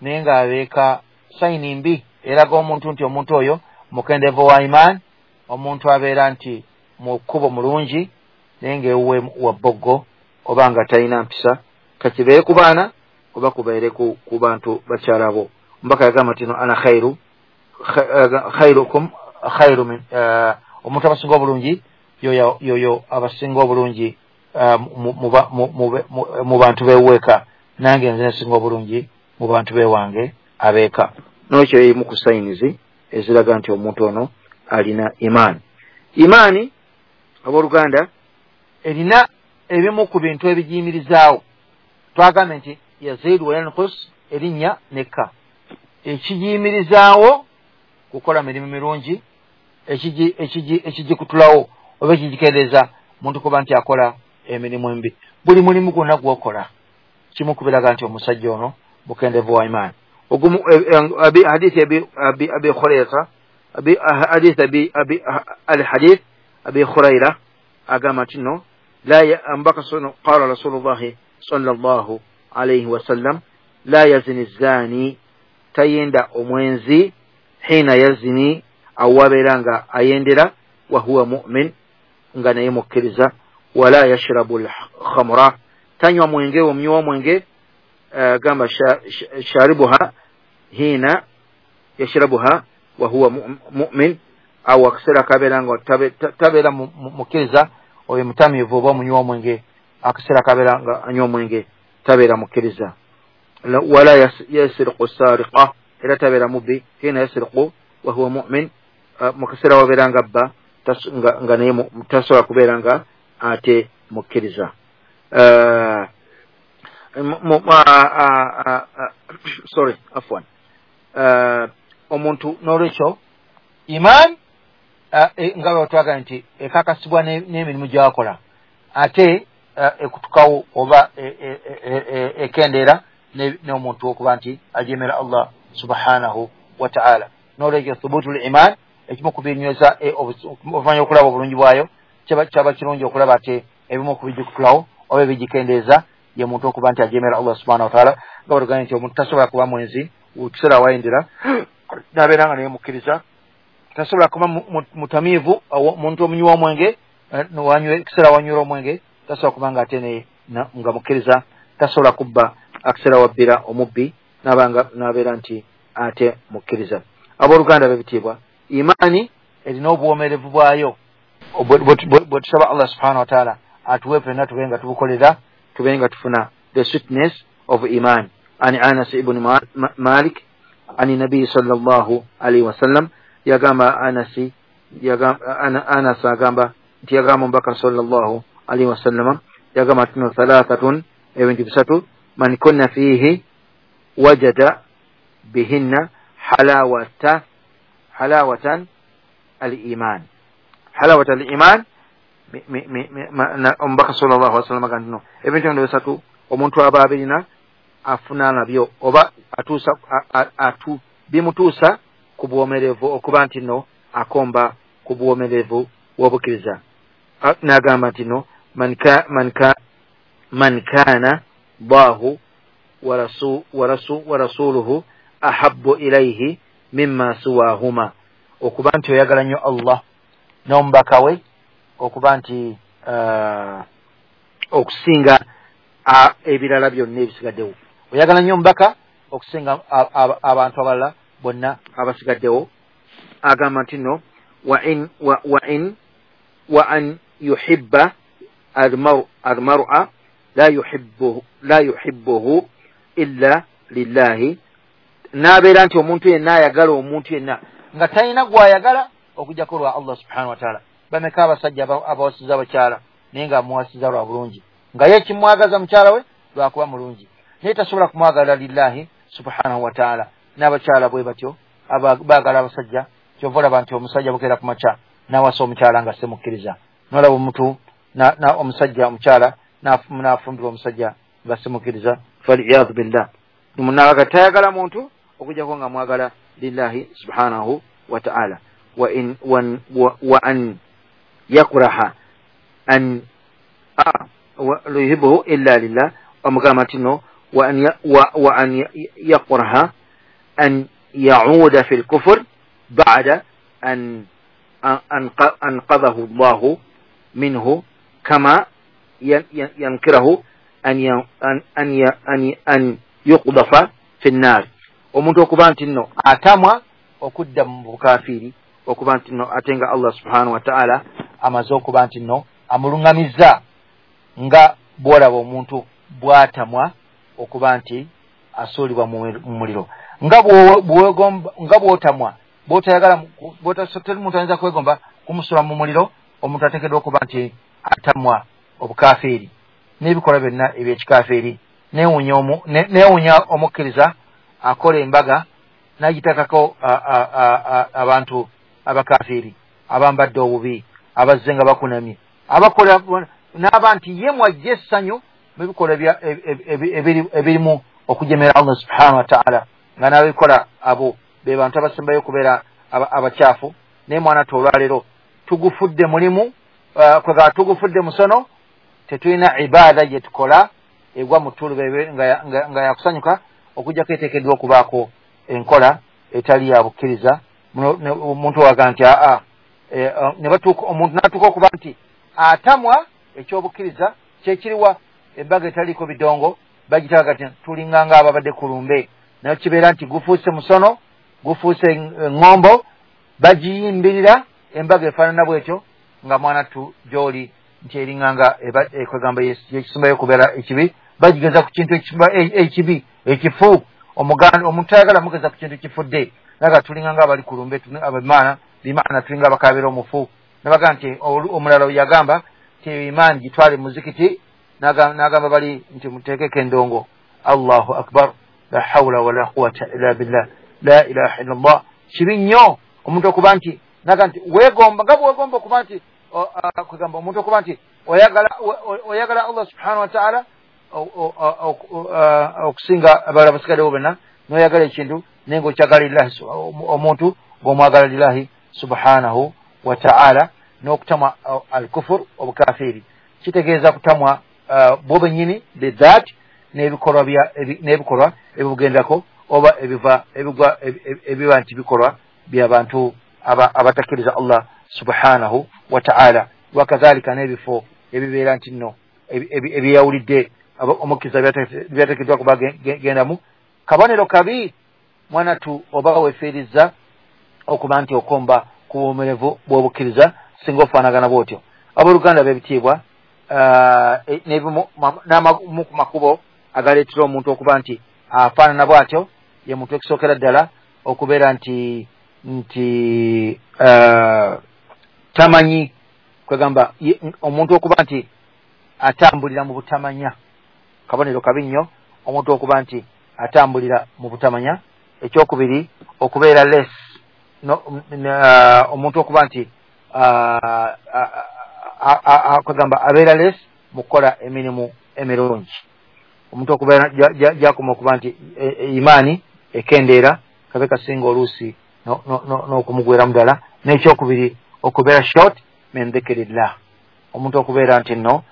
Speaker 1: naye ng'abeeka sayini mbi eraga omuntu nti omuntu oyo mukendeevu wa imaani, omuntu abeera nti mu kkubo mulungi naye ng'ewuwe wa bboggo oba nga talina mpisa, kakibeere ku baana oba kubeere ku bantu bakyala bo. Omubaka yagamba nti no ana khairukum khairu min, omuntu abasinga obulungi yoyo abasinga obulungi mu bantu beweeka, nange nze nsinga obulungi mu bantu bewange abeeka. N'ekyo emu ku sayinizi eziraga nti omuntu ono alina imaani. Imaani abooluganda erina ebimu ku bintu ebigiyimirizaawo. Twagambye nti yaziidu wa yankus, erinnya nekka. Ekigiyimirizaawo kukola mirimu mirungi, ekigikutulawo oba ekigikendeeza muntu kuba nti akola emirimu embi. Buli mulimu gwonna gw'okola kimu kubiraga nti omusajja ono mukendeevu wa imaani. Ogumu hadithi Abi Huraira, hadithi al hadith Abi Huraira agamba nti no la ambaka qala Rasulullah sallallahu alayhi wasallam la yazni zani, tayenda omwenzi hina yazni, awabeera nga ayendera, wa huwa mu'min, nga naye mukkiriza, wala yashrabu al-khamra, tanywa mwenge, omnywa mwenge, gamba sharibuha hina yashrabuha wa huwa mu'min, aw akaseera kabeera nga tabeera mukkiriza, oyo mutamiivu oba omunywa omwenge, akaseera kabeera nga anywa omwenge tabeera mukkiriza. Wala yasriqu sariqa, era tabeera mubbi, hina yasriqu wa huwa mu'min, mu kaseera wabeera nga abba nga naye tasobola kubeera nga ate mukkiriza. Sorry, afwan. Omuntu n'olwekyo iman nga bwe twagala nti ekakasibwa n'emirimu gy'akola, ate ekutukawo oba ekendeera n'omuntu okuba nti ajemera Allah subhanahu wa ta'ala. N'olwekyo thubutul iman ekimu ku binyweza oluvannyuma okulaba obulungi bwayo, kyaba kirungi okulaba ate ebimu ku bigikutulawo oba ebigikendeeza ye muntu okuba nti ajemera Allah subhanahu wa ta'ala. Nga bwe tugambye nti omuntu tasobola kuba mwenzi kiseera wayendera n'abeera nga naye mukkiriza, tasobola kuba mutamiivu, omuntu omunywi w'omwenge kiseera wanywera omwenge, tasobola kuba nga ate naye nga mukkiriza, tasobola kubba akaseera wabbira omubbi n'abeera nti ate mukkiriza. Abooluganda b'ebitiibwa, imaani erina obuwomerevu bwayo bwe tusaba Allah subhanahu wa ta'ala atuwe ffenna tube nga tubukolera, tube nga tufuna the sweetness of iman. Ani Anas ibn Malik ani Nabii sallallahu alaihi wasallam yagamba, Anas agamba nti yagamba omubaka sallallahu alaihi wasallam yagamba tino thalathatun, ebintu bisatu, man kunna fihi wajada bihinna halawatan al-iman, halawata al-iman. Omubaka sallallahu alaihi wasallam agamba nti ebintu bino bisatu omuntu aba abirina afuna nabyo oba atuusa bimutuusa ku buwomerevu, okuba nti no akomba ku buwomerevu bw'obukkiriza. N'agamba nti no man kana Allahu wa rasuluhu ahabbu ilayhi mimma siwahuma, okuba nti oyagala nnyo Allah n'omubaka we okuba nti okusinga ebirala byonna ebisigaddewo. Oyagala nnyo omubaka okusinga abantu abalala bonna abasigaddewo. Agamba nti no wa an yuhibba almar'a la yuhibbuhu illa lillahi, n'abeera nti omuntu yenna ayagala omuntu yenna nga talina gw'ayagala okujjako lwa Allah subhanahu wa ta'ala. Bameka abasajja abawasiza abakyala naye nga amuwasiza lwa bulungi, nga ye kimwagaza mukyala we lwakuba mulungi, naye tasobola kumwagala lillahi subhanahu wa ta'ala. N'abakyala bwe batyo baagala abasajja. Kyova olaba nti omusajja bukeera ku makya n'awasa omukyala nga simukkiriza, n'olaba omuntu omusajja omukyala n'afumbirwa omusajja nga simukkiriza, faliyadhu billah. Munaga tayagala muntu okujjako nga mwagala lillahi subhanahu wa ta'ala. Wa an yakraha an yuhibbuhu illa lillah, omugamba nti no wa an yakraha an yauda fi lkufur ba'da an anqadhahu Allahu minhu kama yankirahu an yuqdafa fi nnar. Omuntu okuba nti nno atamwa okudda mu bukafiiri, okuba nti nno ate nga Allah subhanahu wa ta'ala amaze okuba nti nno amuluŋŋamizza, nga bw'olaba omuntu bw'atamwa okuba nti asuulibwa mu muliro, nga bw'otamwa bw'otayagala teri muntu ayinza kwegomba kumusula mu muliro. Omuntu ateekeddwa okuba nti atamwa obukafiiri n'ebikolwa byonna ebyekikafiiri. Neewuunya omukkiriza akola embaga n'agitakako abantu abakafiiri abambadde obubi, abazze nga bakunamye, abakola n'aba nti ye mwajja essanyu mu bikolwa ebirimu okujemera Allah subhanahu wa ta'ala, nga n'ababikola abo be bantu abasembayo okubeera abakyafu. Naye mwana tu olwaleero tugufudde mulimu, kwegamba tugufudde musono, tetulina ibaada gye tukola egwa mu ttuluba nga yakusanyuka, okujjako eteekeddwa okubaako enkola etali ya bukkiriza. Omuntu waga nti aa, omuntu n'atuuka okuba nti atamwa ekyobukkiriza kyekiriwa, embaga etaliiko bidongo bagitaga nti tulinga nga ababadde ku lumbe, naye kibeera nti gufuuse musono, gufuuse eŋŋombo, bagiyimbirira embaga efaanana bwetyo, nga mwana tu gy'oli nti eringa nga ekwegamba yekisembayo okubeera ekibi, bagigeza ku kintu ekibi ekifu. Omuntu ayagala mugeza ku kintu kifudde, naga tulinga nga abali ku lumbe, abimaana bimaana tulinga abakaabira omufu. Nabaga nti omulala yagamba nti imaani gitwale muzikiti, n'agamba bali nti muteekeko endongo. Allahu akbar, la hawla wala quwata illa billah, la ilaha illa Allah. Kibi nnyo omuntu okuba nti naga nti weegomba, nga bwegomba okuba nti kwegamba omuntu okuba nti oyagala Allah subhanahu wa ta'ala okusinga abalala basigaddewo bonna, n'oyagala ekintu naye ng'okyagala lillahi, omuntu ng'omwagala lillahi subhanahu wa ta'ala. N'okutamwa al-kufur, obukafiiri, kitegeeza kutamwa bwo bennyini bidhat n'ebikolwa ebibugendako, oba ebiva ebigwa ebiba nti bikolwa by'abantu abatakkiriza Allah subhanahu wa ta'ala. Wakadhalika n'ebifo ebibeera nti nno ebyeyawulidde omukkiriza byateekeddwa kuba gendamu. Kabonero kabi mwana tu oba weefiiriza okuba nti okomba ku buwomerevu bw'obukkiriza singa ofaanagana bw'otyo. Abooluganda b'ebitiibwa, n'amamu ku makubo agaleetera omuntu okuba nti afaanana bw'atyo ye muntu ekisookera ddala okubeera nti tamanyi, kwegamba omuntu okuba nti atambulira mu butamanya. Kabonero kabi nnyo omuntu okuba nti atambulira mu butamanya. Ekyokubiri, okubeera less, omuntu okuba nti kwegamba abeera less mu kukola emirimu emirungi. Omuntu okubeera gyakoma okuba nti imaani ekendeera, kabe kasinga oluusi n'okumugweramu ddala. N'ekyokubiri, okubeera short min dhikirillah, Omuntu okubeera nti nno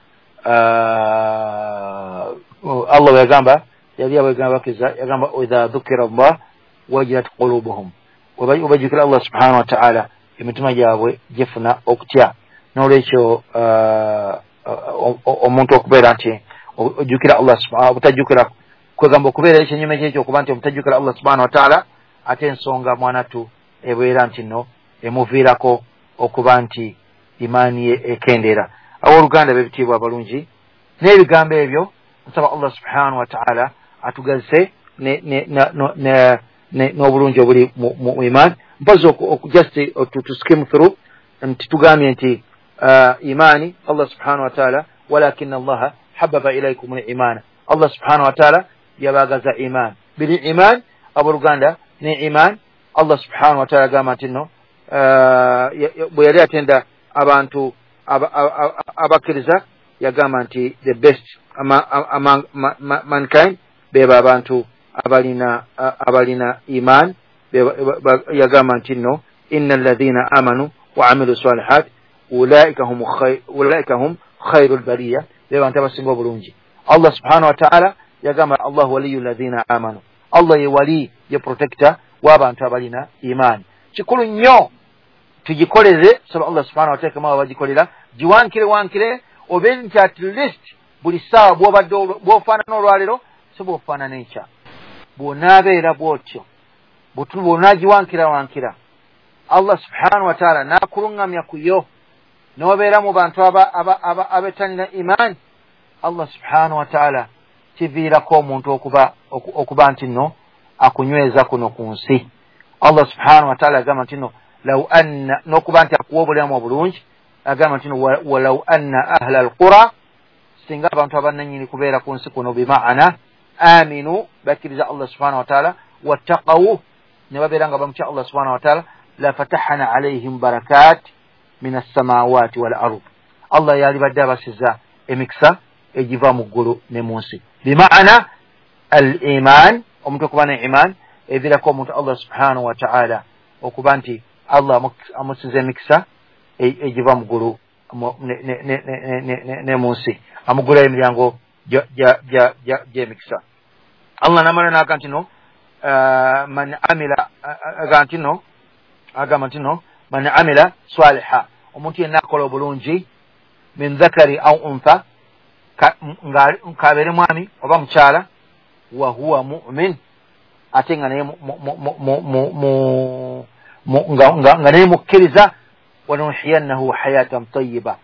Speaker 1: Allah bwe yagamba, yali abagamba bakkiriza, yagamba idha dhukira Allah wajilat qulubuhum, webajjukira Allah subhanahu wa ta'ala emitima gyabwe gifuna okutya. N'olwekyo omuntu okubeera nti ojjukira Allah subhanahu, obutajjukira kwegamba okubeera ekinyume kyekyo okuba nti omutajjukira Allah subhanahu wa ta'ala, ate ensonga mwanatu ebeera nti nno emuviirako okuba nti imaani ye ekendeera. Abooluganda b'ebitiibwa abalungi, n'ebigambo ebyo nsaba Allah subhanahu wa ta'ala atugazise n'obulungi obuli mu imaani. Mpozi just to skim through nti tugambye nti imaani Allah subhanahu wa ta'ala, walakin Allah hababa ilaykum al-imana, Allah subhanahu wa ta'ala yabagaza iman. Bili iman abooluganda ne iman, Allah subhanahu wa ta'ala agamba nti nno bwe yali atenda abantu abakkiriza yagamba nti the best among mankind beba abantu abalina iman. Yagamba nti nno inna alladhina amanu wa amilu salihat ulaika hum khairul bariya, be bantu abasinga obulungi. Allah subhanahu wa ta'ala yagamba Allah waliyu alladhina amanu, Allah ye wali ye protector w'abantu abalina iman. Kikulu nnyo tugikolere, saba Allah subhanahu wa ta'ala kama bagikolera, giwankire wankire, obe nti at least buli ssaawa bw'obadde bw'ofaanana olwaleero si bw'ofaanana enkya. Bw'onaabeera bw'otyo bw'onaagiwankira wankira, Allah subhanahu wa ta'ala n'akuluŋŋamya ku yo n'obeera mu bantu abetanira iman, Allah subhanahu wa ta'ala kiviirako omuntu okuba nti nno akunyweza kuno ku nsi. Allah subhanahu wa ta'ala agamba nti nno law anna, n'okuba nti akuwa obulamu obulungi, agamba nti nno walaw anna ahla alqura, singa abantu abannannyini kubeera ku nsi kuno, bimaana aminu, bakkiriza Allah subhanahu wa ta'ala, wattaqawu, ne babeera nga bamutya Allah subhanahu wa ta'ala, la fatahna alayhim barakat min as-samawati wal ard, Allah yalibadde abasiza emikisa egiva mu ggulu ne mu nsi. Bimaana al-iman, omuntu okuba ne iman eviirako omuntu Allah subhanahu wa ta'ala okuba nti Allah amusiza emikisa egiva mu ggulu ne mu nsi, amugulayo emiryango gy'emikisa. Allah namala n'aga nti no man amila, aga nti no, agamba nti no man amila saliha, omuntu yenna akola obulungi, min dhakari au untha, kabeere mwami oba mukyala, wa huwa mu'min, ate nga naye mukkiriza, wanuhiyannahu hayatan tayyiba,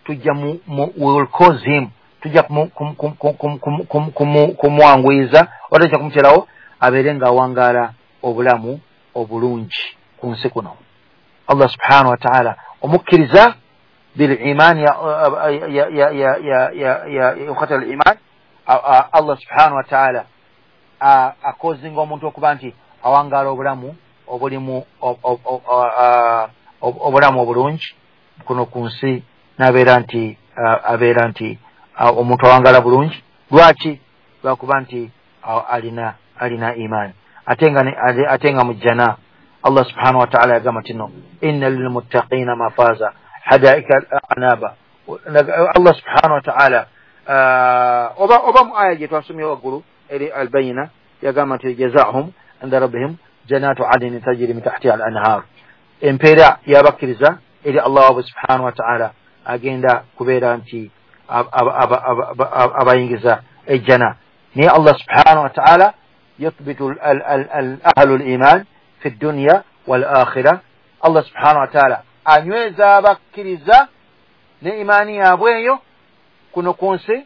Speaker 1: tujja we will cause him, tujja kumwanguyiza oba tujja kumuterawo abeere ng'awangaala obulamu obulungi ku nsi kuno. Allah subhanahu wa ta'ala omukkiriza bil iman ya ukhatal iman, Allah subhanahu wa ta'ala akozinga omuntu okuba nti awangaala obulamu obulimu obulamu obulungi kuno ku nsi, n'abeera nti abeera nti omuntu awangaala bulungi. Lwaki? Lwakuba nti alina iman, ate nga mu jjana Allah subhanahu wa ta'ala yagamba nti no inna lilmuttaqina mafaza hadaika anaba. Allah subhanahu wa ta'ala oba mu aya gye twasomye waggulu eri albayina yagamba nti jazaahum inda rabbihim jannatu adnin tajri min tahtiha al anhar, empeera y'abakkiriza eri Allah waabwe subhanahu wa ta'ala agenda kubeera nti abayingiza ejjana. Naye Allah subhanahu wa ta'ala yuthbitu ahlu al-iman fi dunya wal akhirah, Allah subhanahu wa ta'ala anyweza abakkiriza ne imaani yaabwe eyo kuno ku nsi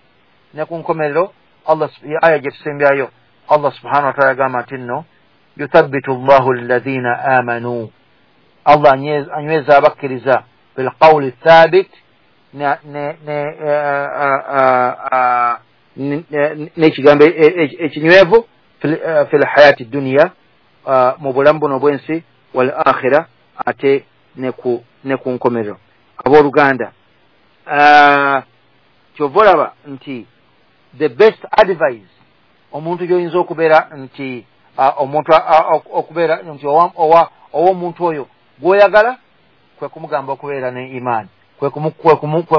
Speaker 1: ne ku nkomerero. Allah aya gye tusembyayo, Allah subhanahu wa ta'ala agamba nti nno yuthabbitu Allahu alladhina amanu, Allah anyweza abakkiriza bilqawli thabit, n'ekigambo ekinywevu fi lhayati dunya, mu bulamu buno obw'ensi, wal akhira, ate ne ku nkomerero. Abooluganda, kyova olaba nti the best advice omuntu gy'oyinza okubeera nti omuntu okubeera nti ow'omuntu oyo gw'oyagala kwe kumugamba okubeera ne imaani, Kwe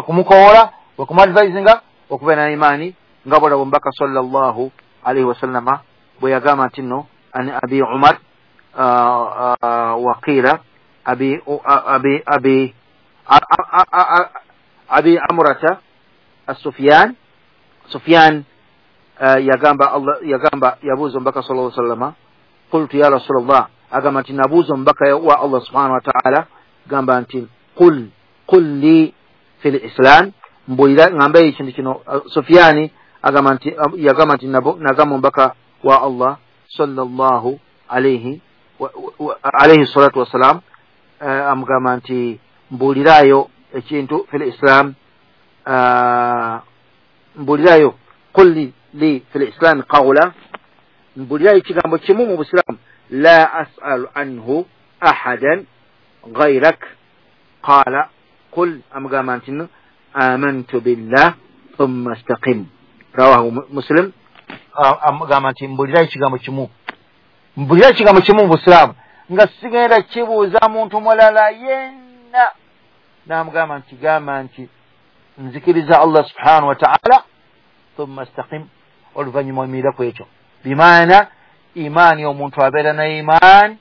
Speaker 1: kumukowoola, kwe kumuadvisinga okubeera na imaani, nga bwolaba omubaka sallallahu alaihi wasallama bwe yagamba nti nno an Abi Umar waqiila abi abi abi abi Amrata as-Sufyan. Sufyan yagamba Allah, yagamba yabuuza omubaka sallallahu alaihi wasallama, qultu ya Rasulullah, agamba nti nabuuza omubaka wa Allah subhanahu wa ta'ala, gamba nti qul li fil islam, mbulira ngamba ekintu kino. Sufyani agamba nti yagamba nti nagamba omubaka wa Allah sallallahu alayhi alayhi salatu wassalam, amugamba nti mbulirayo ekintu fil islam, mbulirayo qul li fil islam qawla, mbulirayo ekigambo kimu mu busiraamu, la as'alu anhu ahadan ghayrak, qala qul, amugamba nti amantu billah thumma istaqim, rawahu Muslim. Amugamba nti mbulirayo ekigambo kimu, mbulirayo ekigambo kimu mu busiraamu nga sigenda kibuuza muntu mulala yenna. N'amugamba nti gamba nti nzikiriza Allah subhanahu wa ta'ala thumma istaqim, oluvannyuma oyimirira ku ekyo. Bimaana imaani, omuntu abeera na imaani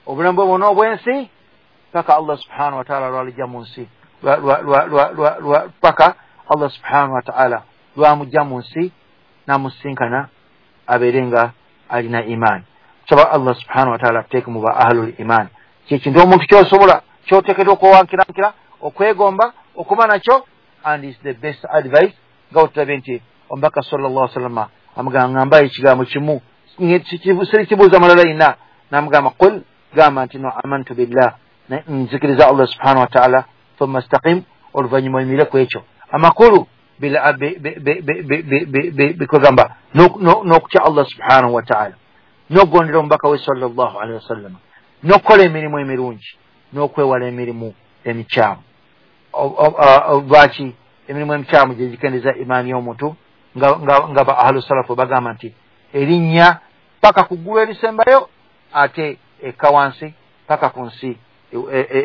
Speaker 1: obulamu bwe bwonna obw'ensi paka Allah subhanahu wa ta'ala lwalijja mu nsi, paka Allah subhanahu wa ta'ala lwamujja mu nsi n'amusisinkana abeere nga alina imaani. Tusaba Allah subhanahu wa ta'ala atuteeke mu ba ahlul imaani. Kyekintu omuntu kyosobola kyoteekeddwa okwewankirankira, okwegomba, okuba nakyo, and is the best advice. Nga otulabye nti omubaka sallallahu alaihi wasallam amugamba ngambayo ekigambo kimu, sirikibuuza mulala yenna, n'amugamba qul, gamba nti no amantu billah, nzikiriza Allah subhanahu wa ta'ala thumma istaqim, oluvannyuma oyimirire ku ekyo. Amakulu bikugamba n'okutya Allah subhanahu wa ta'ala, n'okugondera omubaka we sallallahu alaihi wasallam, n'okukola emirimu emirungi, n'okwewala emirimu emikyamu. Lwaki emirimu emikyamu gye gikendeza imaani y'omuntu? Nga ba ahlu salafu bagamba nti erinnya paka ku ggulu erisembayo, ate ekka wansi paka ku nsi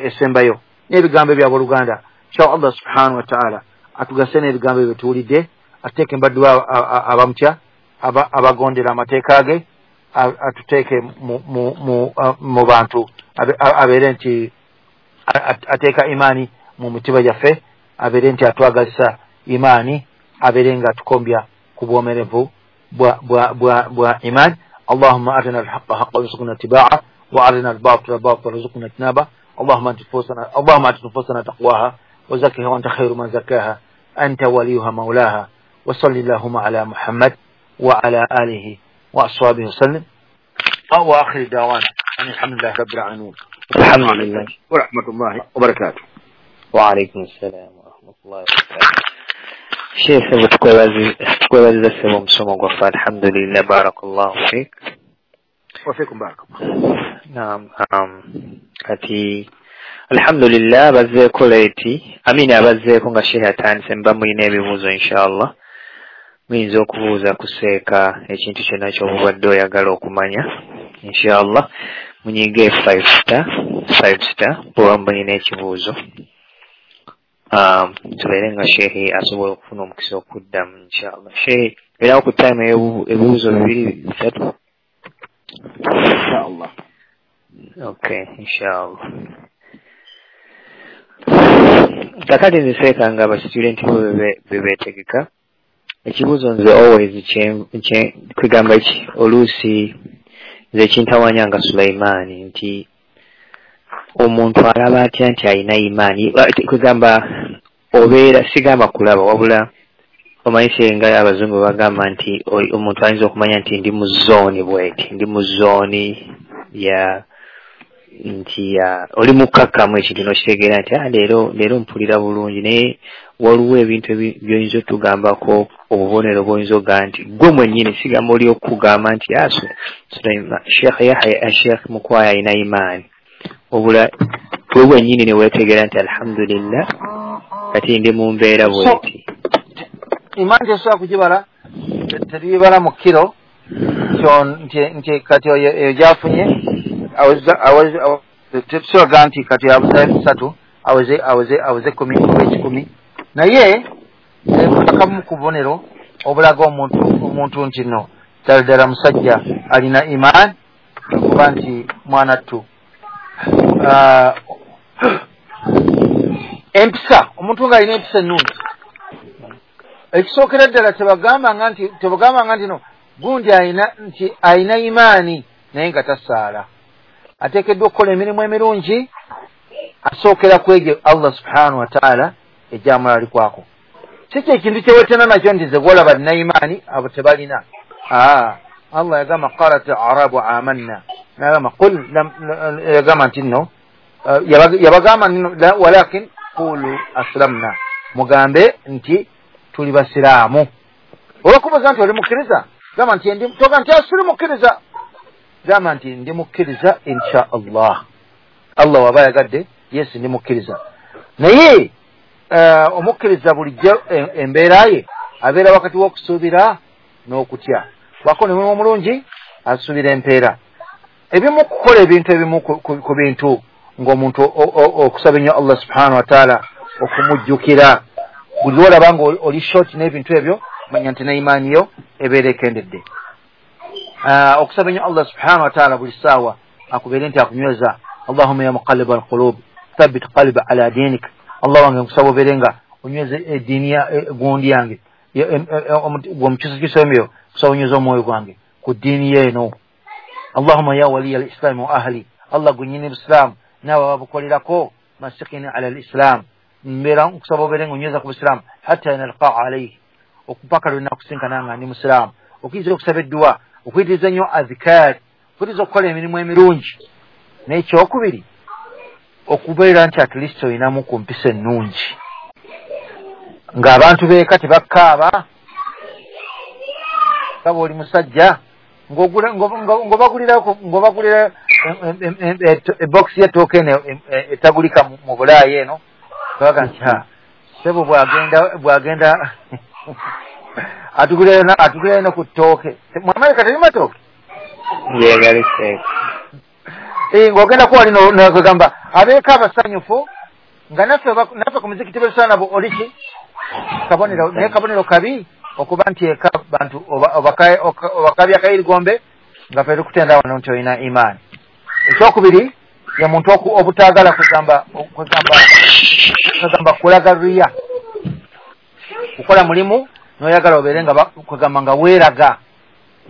Speaker 1: esembayo. N'ebigambo ebyabooluganda, nsaba Allah subhanahu wa ta'ala atugase n'ebigambo ebyo tuwulidde, atuteeke mbaddu abamutya, abagondera amateeka ge, atuteeke mu bantu abeere nti ateeka imaani mu mitima gyaffe, abeere nti atwagazisa imaani, abeere nga atukombya ku bwomerevu bwa imaani. Allahumma arina alhaqqa haqqan warzuqna ittiba'ah, wa arina albatila batilan warzuqna ijtinabah. Allahumma ati nufusana taqwaha wa zakkiha wa anta khairu man zakkaha anta waliyuha maulaha, wa salli allahumma ala Muhammad wa ala alihi wa ashabihi wasallim. Wa akhir da'wana alhamdulillahi rabbil alamin.
Speaker 2: Alhamdulillah
Speaker 1: wa rahmatullahi wa barakatuh.
Speaker 2: Wa alaykum assalam wa rahmatullahi wa barakatuh. Sheikh, tukwebaziza ssebo omusomo gwaffe, alhamdulillah, barakallahu fik.
Speaker 1: Wa fikum barakallah.
Speaker 2: Naam, kati alhamdulillah bazzeeko leeti, amini abazzeeko nga Sheikh atandise, mba mulina ebibuuzo inshallah, muyinza okubuuza kuseeka ekintu kyonna ky'obubadde oyagala okumanya inshallah. Munyige 5 star 5 star bw'oba mulina ekibuuzo, tubeere nga Sheikh asobola okufuna omukisa okuddamu inshallah. Sheikh, era ku time ebibuuzo 2 3
Speaker 1: inshallah.
Speaker 2: Okay, inshallah. Kakati nze seeka nga abastudenti bo bebeetegeka, ekibuuzo nze always kwegamba ki oluusi nze ekintawanya nga Sulaimaani nti omuntu alaba atya nti alina imaani, kwegamba obeera sigamba kulaba, wabula omanyi senga abazungu bagamba nti omuntu ayinza okumanya nti ndi mu zooni bweti, ndi mu zooni ya nti oli mukkakkamu ekintu n'okitegeera nti leero mpulira bulungi, naye waliwo ebintu by'oyinza otugambako, obubonero bw'oyinza ogamba nti gwe mwennyini, sigamba oli okugamba nti Sheikh Yahya Sheikh Mukwaya alina imaani, wabula gwe bwennyini ne weetegeera nti alhamdulillah kati ndi mu mbeera bweti.
Speaker 1: Imaani tesobola kugibala, tetugibala mu kiro nti kati eyo gyafunye, tetusobola nti kati abuzayo 3 Aweze 10 oba 100. Naye akamu ku bubonero obulaga omuntu nti no ddala ddala musajja alina imaani, okuba nti mwana ttu empisa, omuntu ng'alina empisa ennungi. Ekisookera ddala tebagambanga nti no gundi alina nti alina imaani naye nga tasaala. Ateekeddwa okukola emirimu emirungi, asookera ku egyo Allah subhanahu wa ta'ala egyamulalikwako. Si kyekintu kyewetena nakyo nti ze gwolaba alina imaani abo tebalina. Allah yagamba qalat arabu amanna, nagamba qul, yagamba nti nno yabagamba walakin qulu aslamna, mugambe nti tuli basiraamu. Olwokubuuza nti oli mukkiriza, gamba nti toga nti asiri mukkiriza, gamba nti ndi mukkiriza insha Allah. Allah waba ayagadde, yes ndi mukkiriza. Naye omukkiriza bulijjo embeera ye abeera wakati w'okusuubira n'okutya. Bw'akola omulimu omulungi asuubira empeera. Ebimu kukola ebintu ebimu ku bintu ng'omuntu okusaba ennyo Allah subhanahu wa ta'ala okumujjukira. Buli lw'olaba ng'oli short n'ebintu ebyo, manya nti neimaani yo ebeera ekendedde. Okusaba ennyo Allah subhanahu wa ta'ala buli ssaawa akubeere nti akunyweza. Allahumma ya muqallib alqulub thabbit qalbi ala dinik. Allah wange nkusaba obeere nga onyweze eddiini gundi yange omukyusakyusa emyoyo, kusaba onyweze omwoyo gwange ku ddiini ye eno. Allahumma ya waliya alislami wa ahli, Allah gwe busiraamu n'abo ababukolerako, masikini ala alislam, mbeera nkusaba obeere nga onyweza ku busiraamu hatta nalqaa alaihi, okupaka lwe nakusinkana nga ndi musiraamu. Okuyinza okusaba edduwa, okuyitiriza ennyo adhikaari, okuyitiriza okukola emirimu emirungi. N'ekyokubiri, okubeera nti at least olinamu ku mpisa ennungi, ng'abantu beeka tebakkaaba, nga bw'oli musajja ng'obagulira ebokisi y'ettooke eno etagulika mu Bulaaya eno, baga nti ssebo bw'agenda atugulirayo no ku ttooke. Mu Amerika teri matooke? Ng'ogenda kuwali nogamba abeeka abasanyufu nga naffe ku muzikiti bwetusaana nabo oli ki kabonero, naye kabonero kabi okuba nti eka bantu obakabya akayirigombe nga ffe tukutenda wano nti olina imaani. Ekyokubiri ye muntu obutaagala kugamba kulaga riya, kukola mulimu n'oyagala obeere nga kugamba nga weeraga.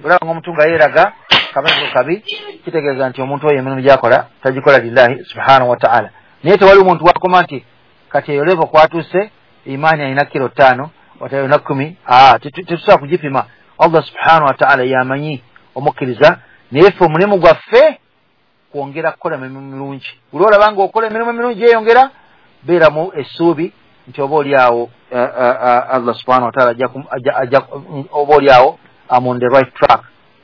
Speaker 1: Olaba ng'omuntu nga yeeraga kabonero kabi, kitegeeza nti omuntu oyo emirimu gy'akola tagikola lillahi subhanahu wa ta'ala. Naye tewali omuntu wakoma nti kati eyo levo kwatuuse imaani alina kilo 5 watayona 10, tetusobola kugipima. Allah subhanahu wa ta'ala yamanyi omukkiriza, naye ffe omulimu gwaffe kwongera kukola emirimu mirungi. Buli olaba ng'okola emirimu emirungi yeeyongera, beeramu essuubi nti oba oli awo Allah subhanahu wa ta'ala oba oli awo I'm on the right track.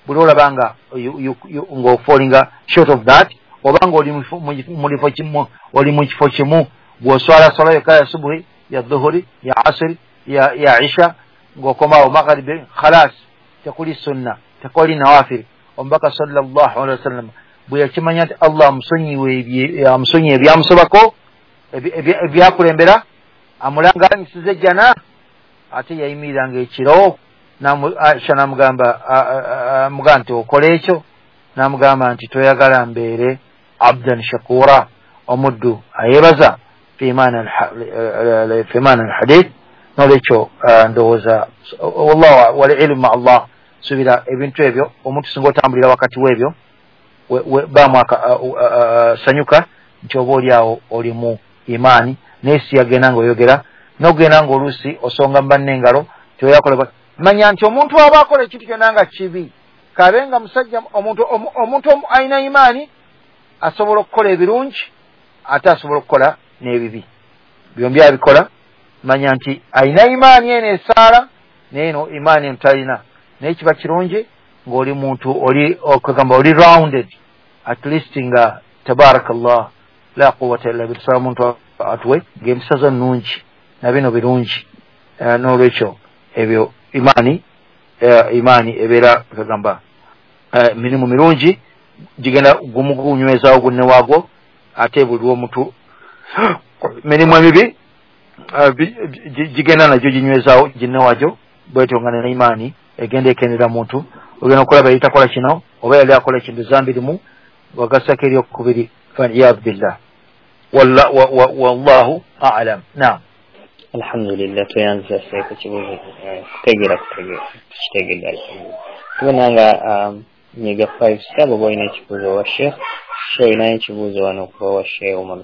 Speaker 1: Buli olaba nga ng'ofallinga short of that, oba ng'oli mu kifo kimu bw'oswala swala yokka ya subuhi, ya dhuhuri, ya asiri, ya isha, ng'okomawo magharibi, khalas, tekuli sunna, tekuli nawafiri. Omubaka sallallahu alaihi wasallam bwe yakimanya nti Allah amusonyiwe ebyamusobako ebyakulembera, amulanganyisiza ejjana, ate yayimiriranga ekiro Aisha n'amugamba amugamba nti okola ekyo, n'amugamba nti toyagala mbeere abdan shakura, omuddu ayeebaza fi maana alhadith. N'olwekyo ndowooza wallahu walilmu ma Allah, suubira ebintu ebyo omuntu singa otambulira wakati w'ebyo baamu sanyuka nti oba oli awo oli mu imaani. Naye si yagenda ng'oyogera n'ogenda ng'oluusi osonga mu banne engalo teoyakola. Manya nti omuntu aba akola ekintu kyonna nga kibi, kabe nga musajja omuntu alina imaani asobola okukola ebirungi ate asobola okukola n'ebibi, byombi abikola. Manya nti alina imaani eno esaala naye eno imaani eno talina. Naye kiba kirungi ng'oli muntu oli okugamba oli rounded at least nga tabarakallah la quwwata illa billah, omuntu atuwe ng'empisa zo nnungi na bino birungi. N'olwekyo ebyo imaani ebeera kagamba mirimu mirungi gigenda gumu gunywezaawo gunne waagwo, ate buli omuntu Mirimu emibi gigenda nagyo ginywezaawo ginnewajo bwetyo nga nena imaani egenda ekendera muntu ogenda okulaba yali takola kino oba yali akola ekintu zambi limu wagassako eryokubiri faliyadu billah wallahu alam. Naam.
Speaker 2: Alhamdulillah tweyanza seeka kibuuzo kutegeera tukitegedde alhamdulillah. Tubona nga nyiga 5 star oba olina ekibuuzo wa Sheikh. Sheikh olinayo ekibuuzo wano okuva wa Sheikh Umar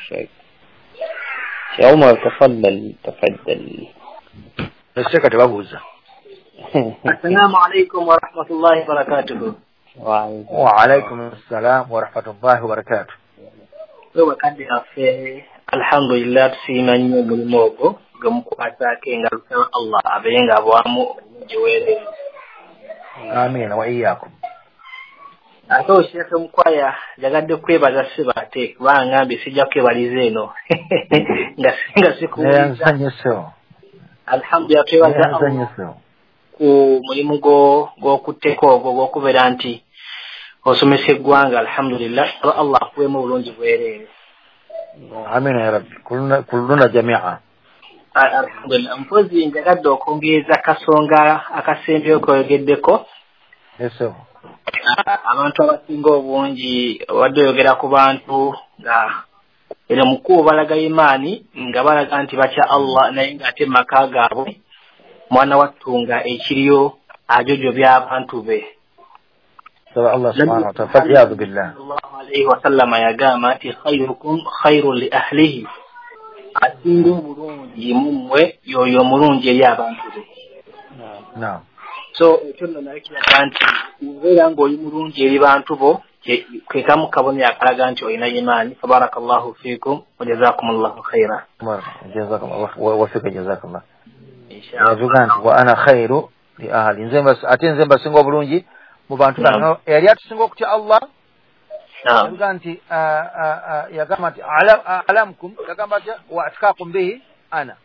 Speaker 2: Sheikh. Sheikh Umar tafaddal tafaddal.
Speaker 1: Seeka tebabuuza.
Speaker 3: Assalamu alaikum wa rahmatullahi wa barakatuhu.
Speaker 1: Wa alaikum assalam wa rahmatullahi wa barakatuh.
Speaker 3: Wewe kadde affe alhamdulillah tusiima nnyo omulimu ogwo gwe mukwasaako engalo Allah abeere ng'abwamu obulungi weerere.
Speaker 1: Amiina wa iyyakum.
Speaker 3: Ate Sheikh Mukwaya njagadde kwebaza ssebo ate kubanga ngambye sijja kwebaliza eno nga sikuwuliza. Alhamdulillah twebaza Allah ku mulimu gw'okutteko ogwo gw'okubeera nti osomesa eggwanga alhamdulillah Allah akuweemu obulungi bwereere.
Speaker 1: Amina ya rabbi kulluna jamia.
Speaker 3: Alhamdulillah. Mpozi njagadde okwongereza akasonga akasembyeyo koyogeddeko. Abantu abasinga obungi obadde oyogera ku bantu nga era mukuu balaga imaani nga balaga nti batya Allah naye ng'ate mu maka gaabwe mwana wattu nga ekiriyo ajojobya abantu be.
Speaker 1: Saba Allah subhanahu wa ta'ala faliyadu billah.
Speaker 3: Sallallahu alayhi wa sallama yagamba nti khairukum khairun li ahlihi, asinga obulungi mu mmwe y'oyo omulungi eri abantu be.
Speaker 1: Naam.
Speaker 3: So ekyo nno nayo kiraga nti obeera ng'oli mulungi eri bantu bo ke kamu kabonero akalaga nti olina imaani. Fabarakallahu fiikum wa jazakumullahu khaira.
Speaker 1: Jazakallahu wa fika jazakallah. Yavuga nti wa ana khairu li ahli, ate nze mbasinga obulungi mu bantu bano. Eyali atusinga okutya Allah yavuga nti yagamba nti alamkum, yagamba nti wa atqakum bihi ana.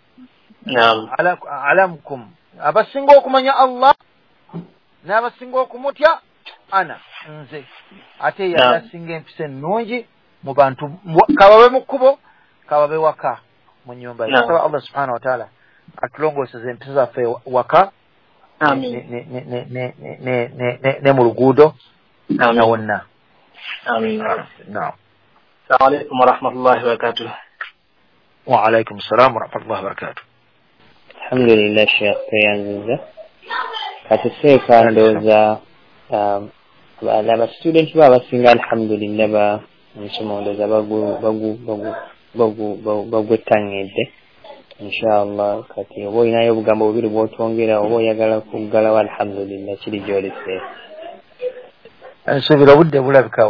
Speaker 3: Naam.
Speaker 1: Alamkum, abasinga okumanya Allah n'abasinga okumutya ana nze. Ate yali asinga empisa ennungi mu bantu kababe mu kkubo kababe waka mu nnyumba ye. Saba Allah subhanahu wa ta'ala atulongooseze empisa zaffe waka ne mu luguudo na wonna.
Speaker 3: Amiin.
Speaker 1: Naam.
Speaker 3: Assalamu alaikum wa rahmatullahi wa barakatuh.
Speaker 1: Wa alaikum assalam wa rahmatullahi wa barakatuh.
Speaker 2: Alhamdulillah Sheikh tweyanziza. Kati seeka ndowooza abastudenti bo abasinga alhamdulillah ba omusomo ndowooza bagwettanidde inshallah. Kati oba olinayo obugambo bubiri bw'otwongera oba oyagala kuggalawo alhamdulillah kiri gy'oli seeka.
Speaker 1: Nsuubira obudde bulabika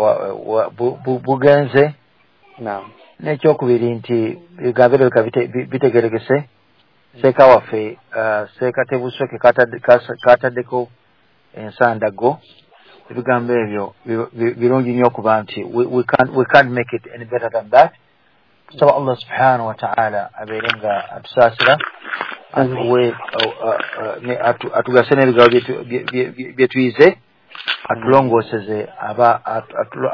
Speaker 1: bugenze.
Speaker 2: Naam.
Speaker 1: N'ekyokubiri nti ebigambo birabika bitegerekese. Seeka waffe seeka Tebusweke kataddeko ensandaggo. Ebigambo ebyo birungi nnyo okuba nti we can't make it any better than that. Tusaba Allah subhanahu wa ta'ala abeere nga atusaasira atugase n'ebigambo bye tuyize, atulongooseze aba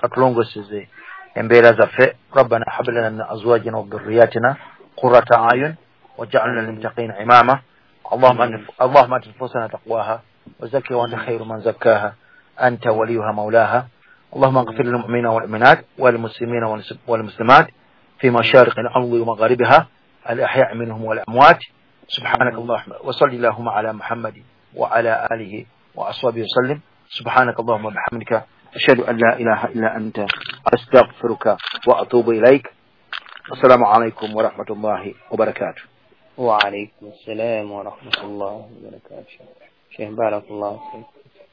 Speaker 1: atulongooseze embeera zaffe. Rabbana hab lana min azwajina wa dhurriyyatina qurrata a'yun waj'alna lilmuttaqina imama. Allahumma ati nufusana taqwaha wa zakkiha wa anta khairu man zakkaha anta waliyuha mawlaha. Allahumma ighfir lil mu'minina wal mu'minat wal muslimina wal muslimat في مشارق الأرض ومغاربها الأحياء منهم والأموات. سبحانك اللهم وصل اللهم على محمد وعلى آله وأصحابه وسلم. سبحانك اللهم وبحمدك أشهد أن لا إله إلا أنت أستغفرك وأتوب إليك. السلام عليكم ورحمة الله وبركاته.
Speaker 2: وعليكم السلام ورحمة الله وبركاته. شيخ بارك الله فيك.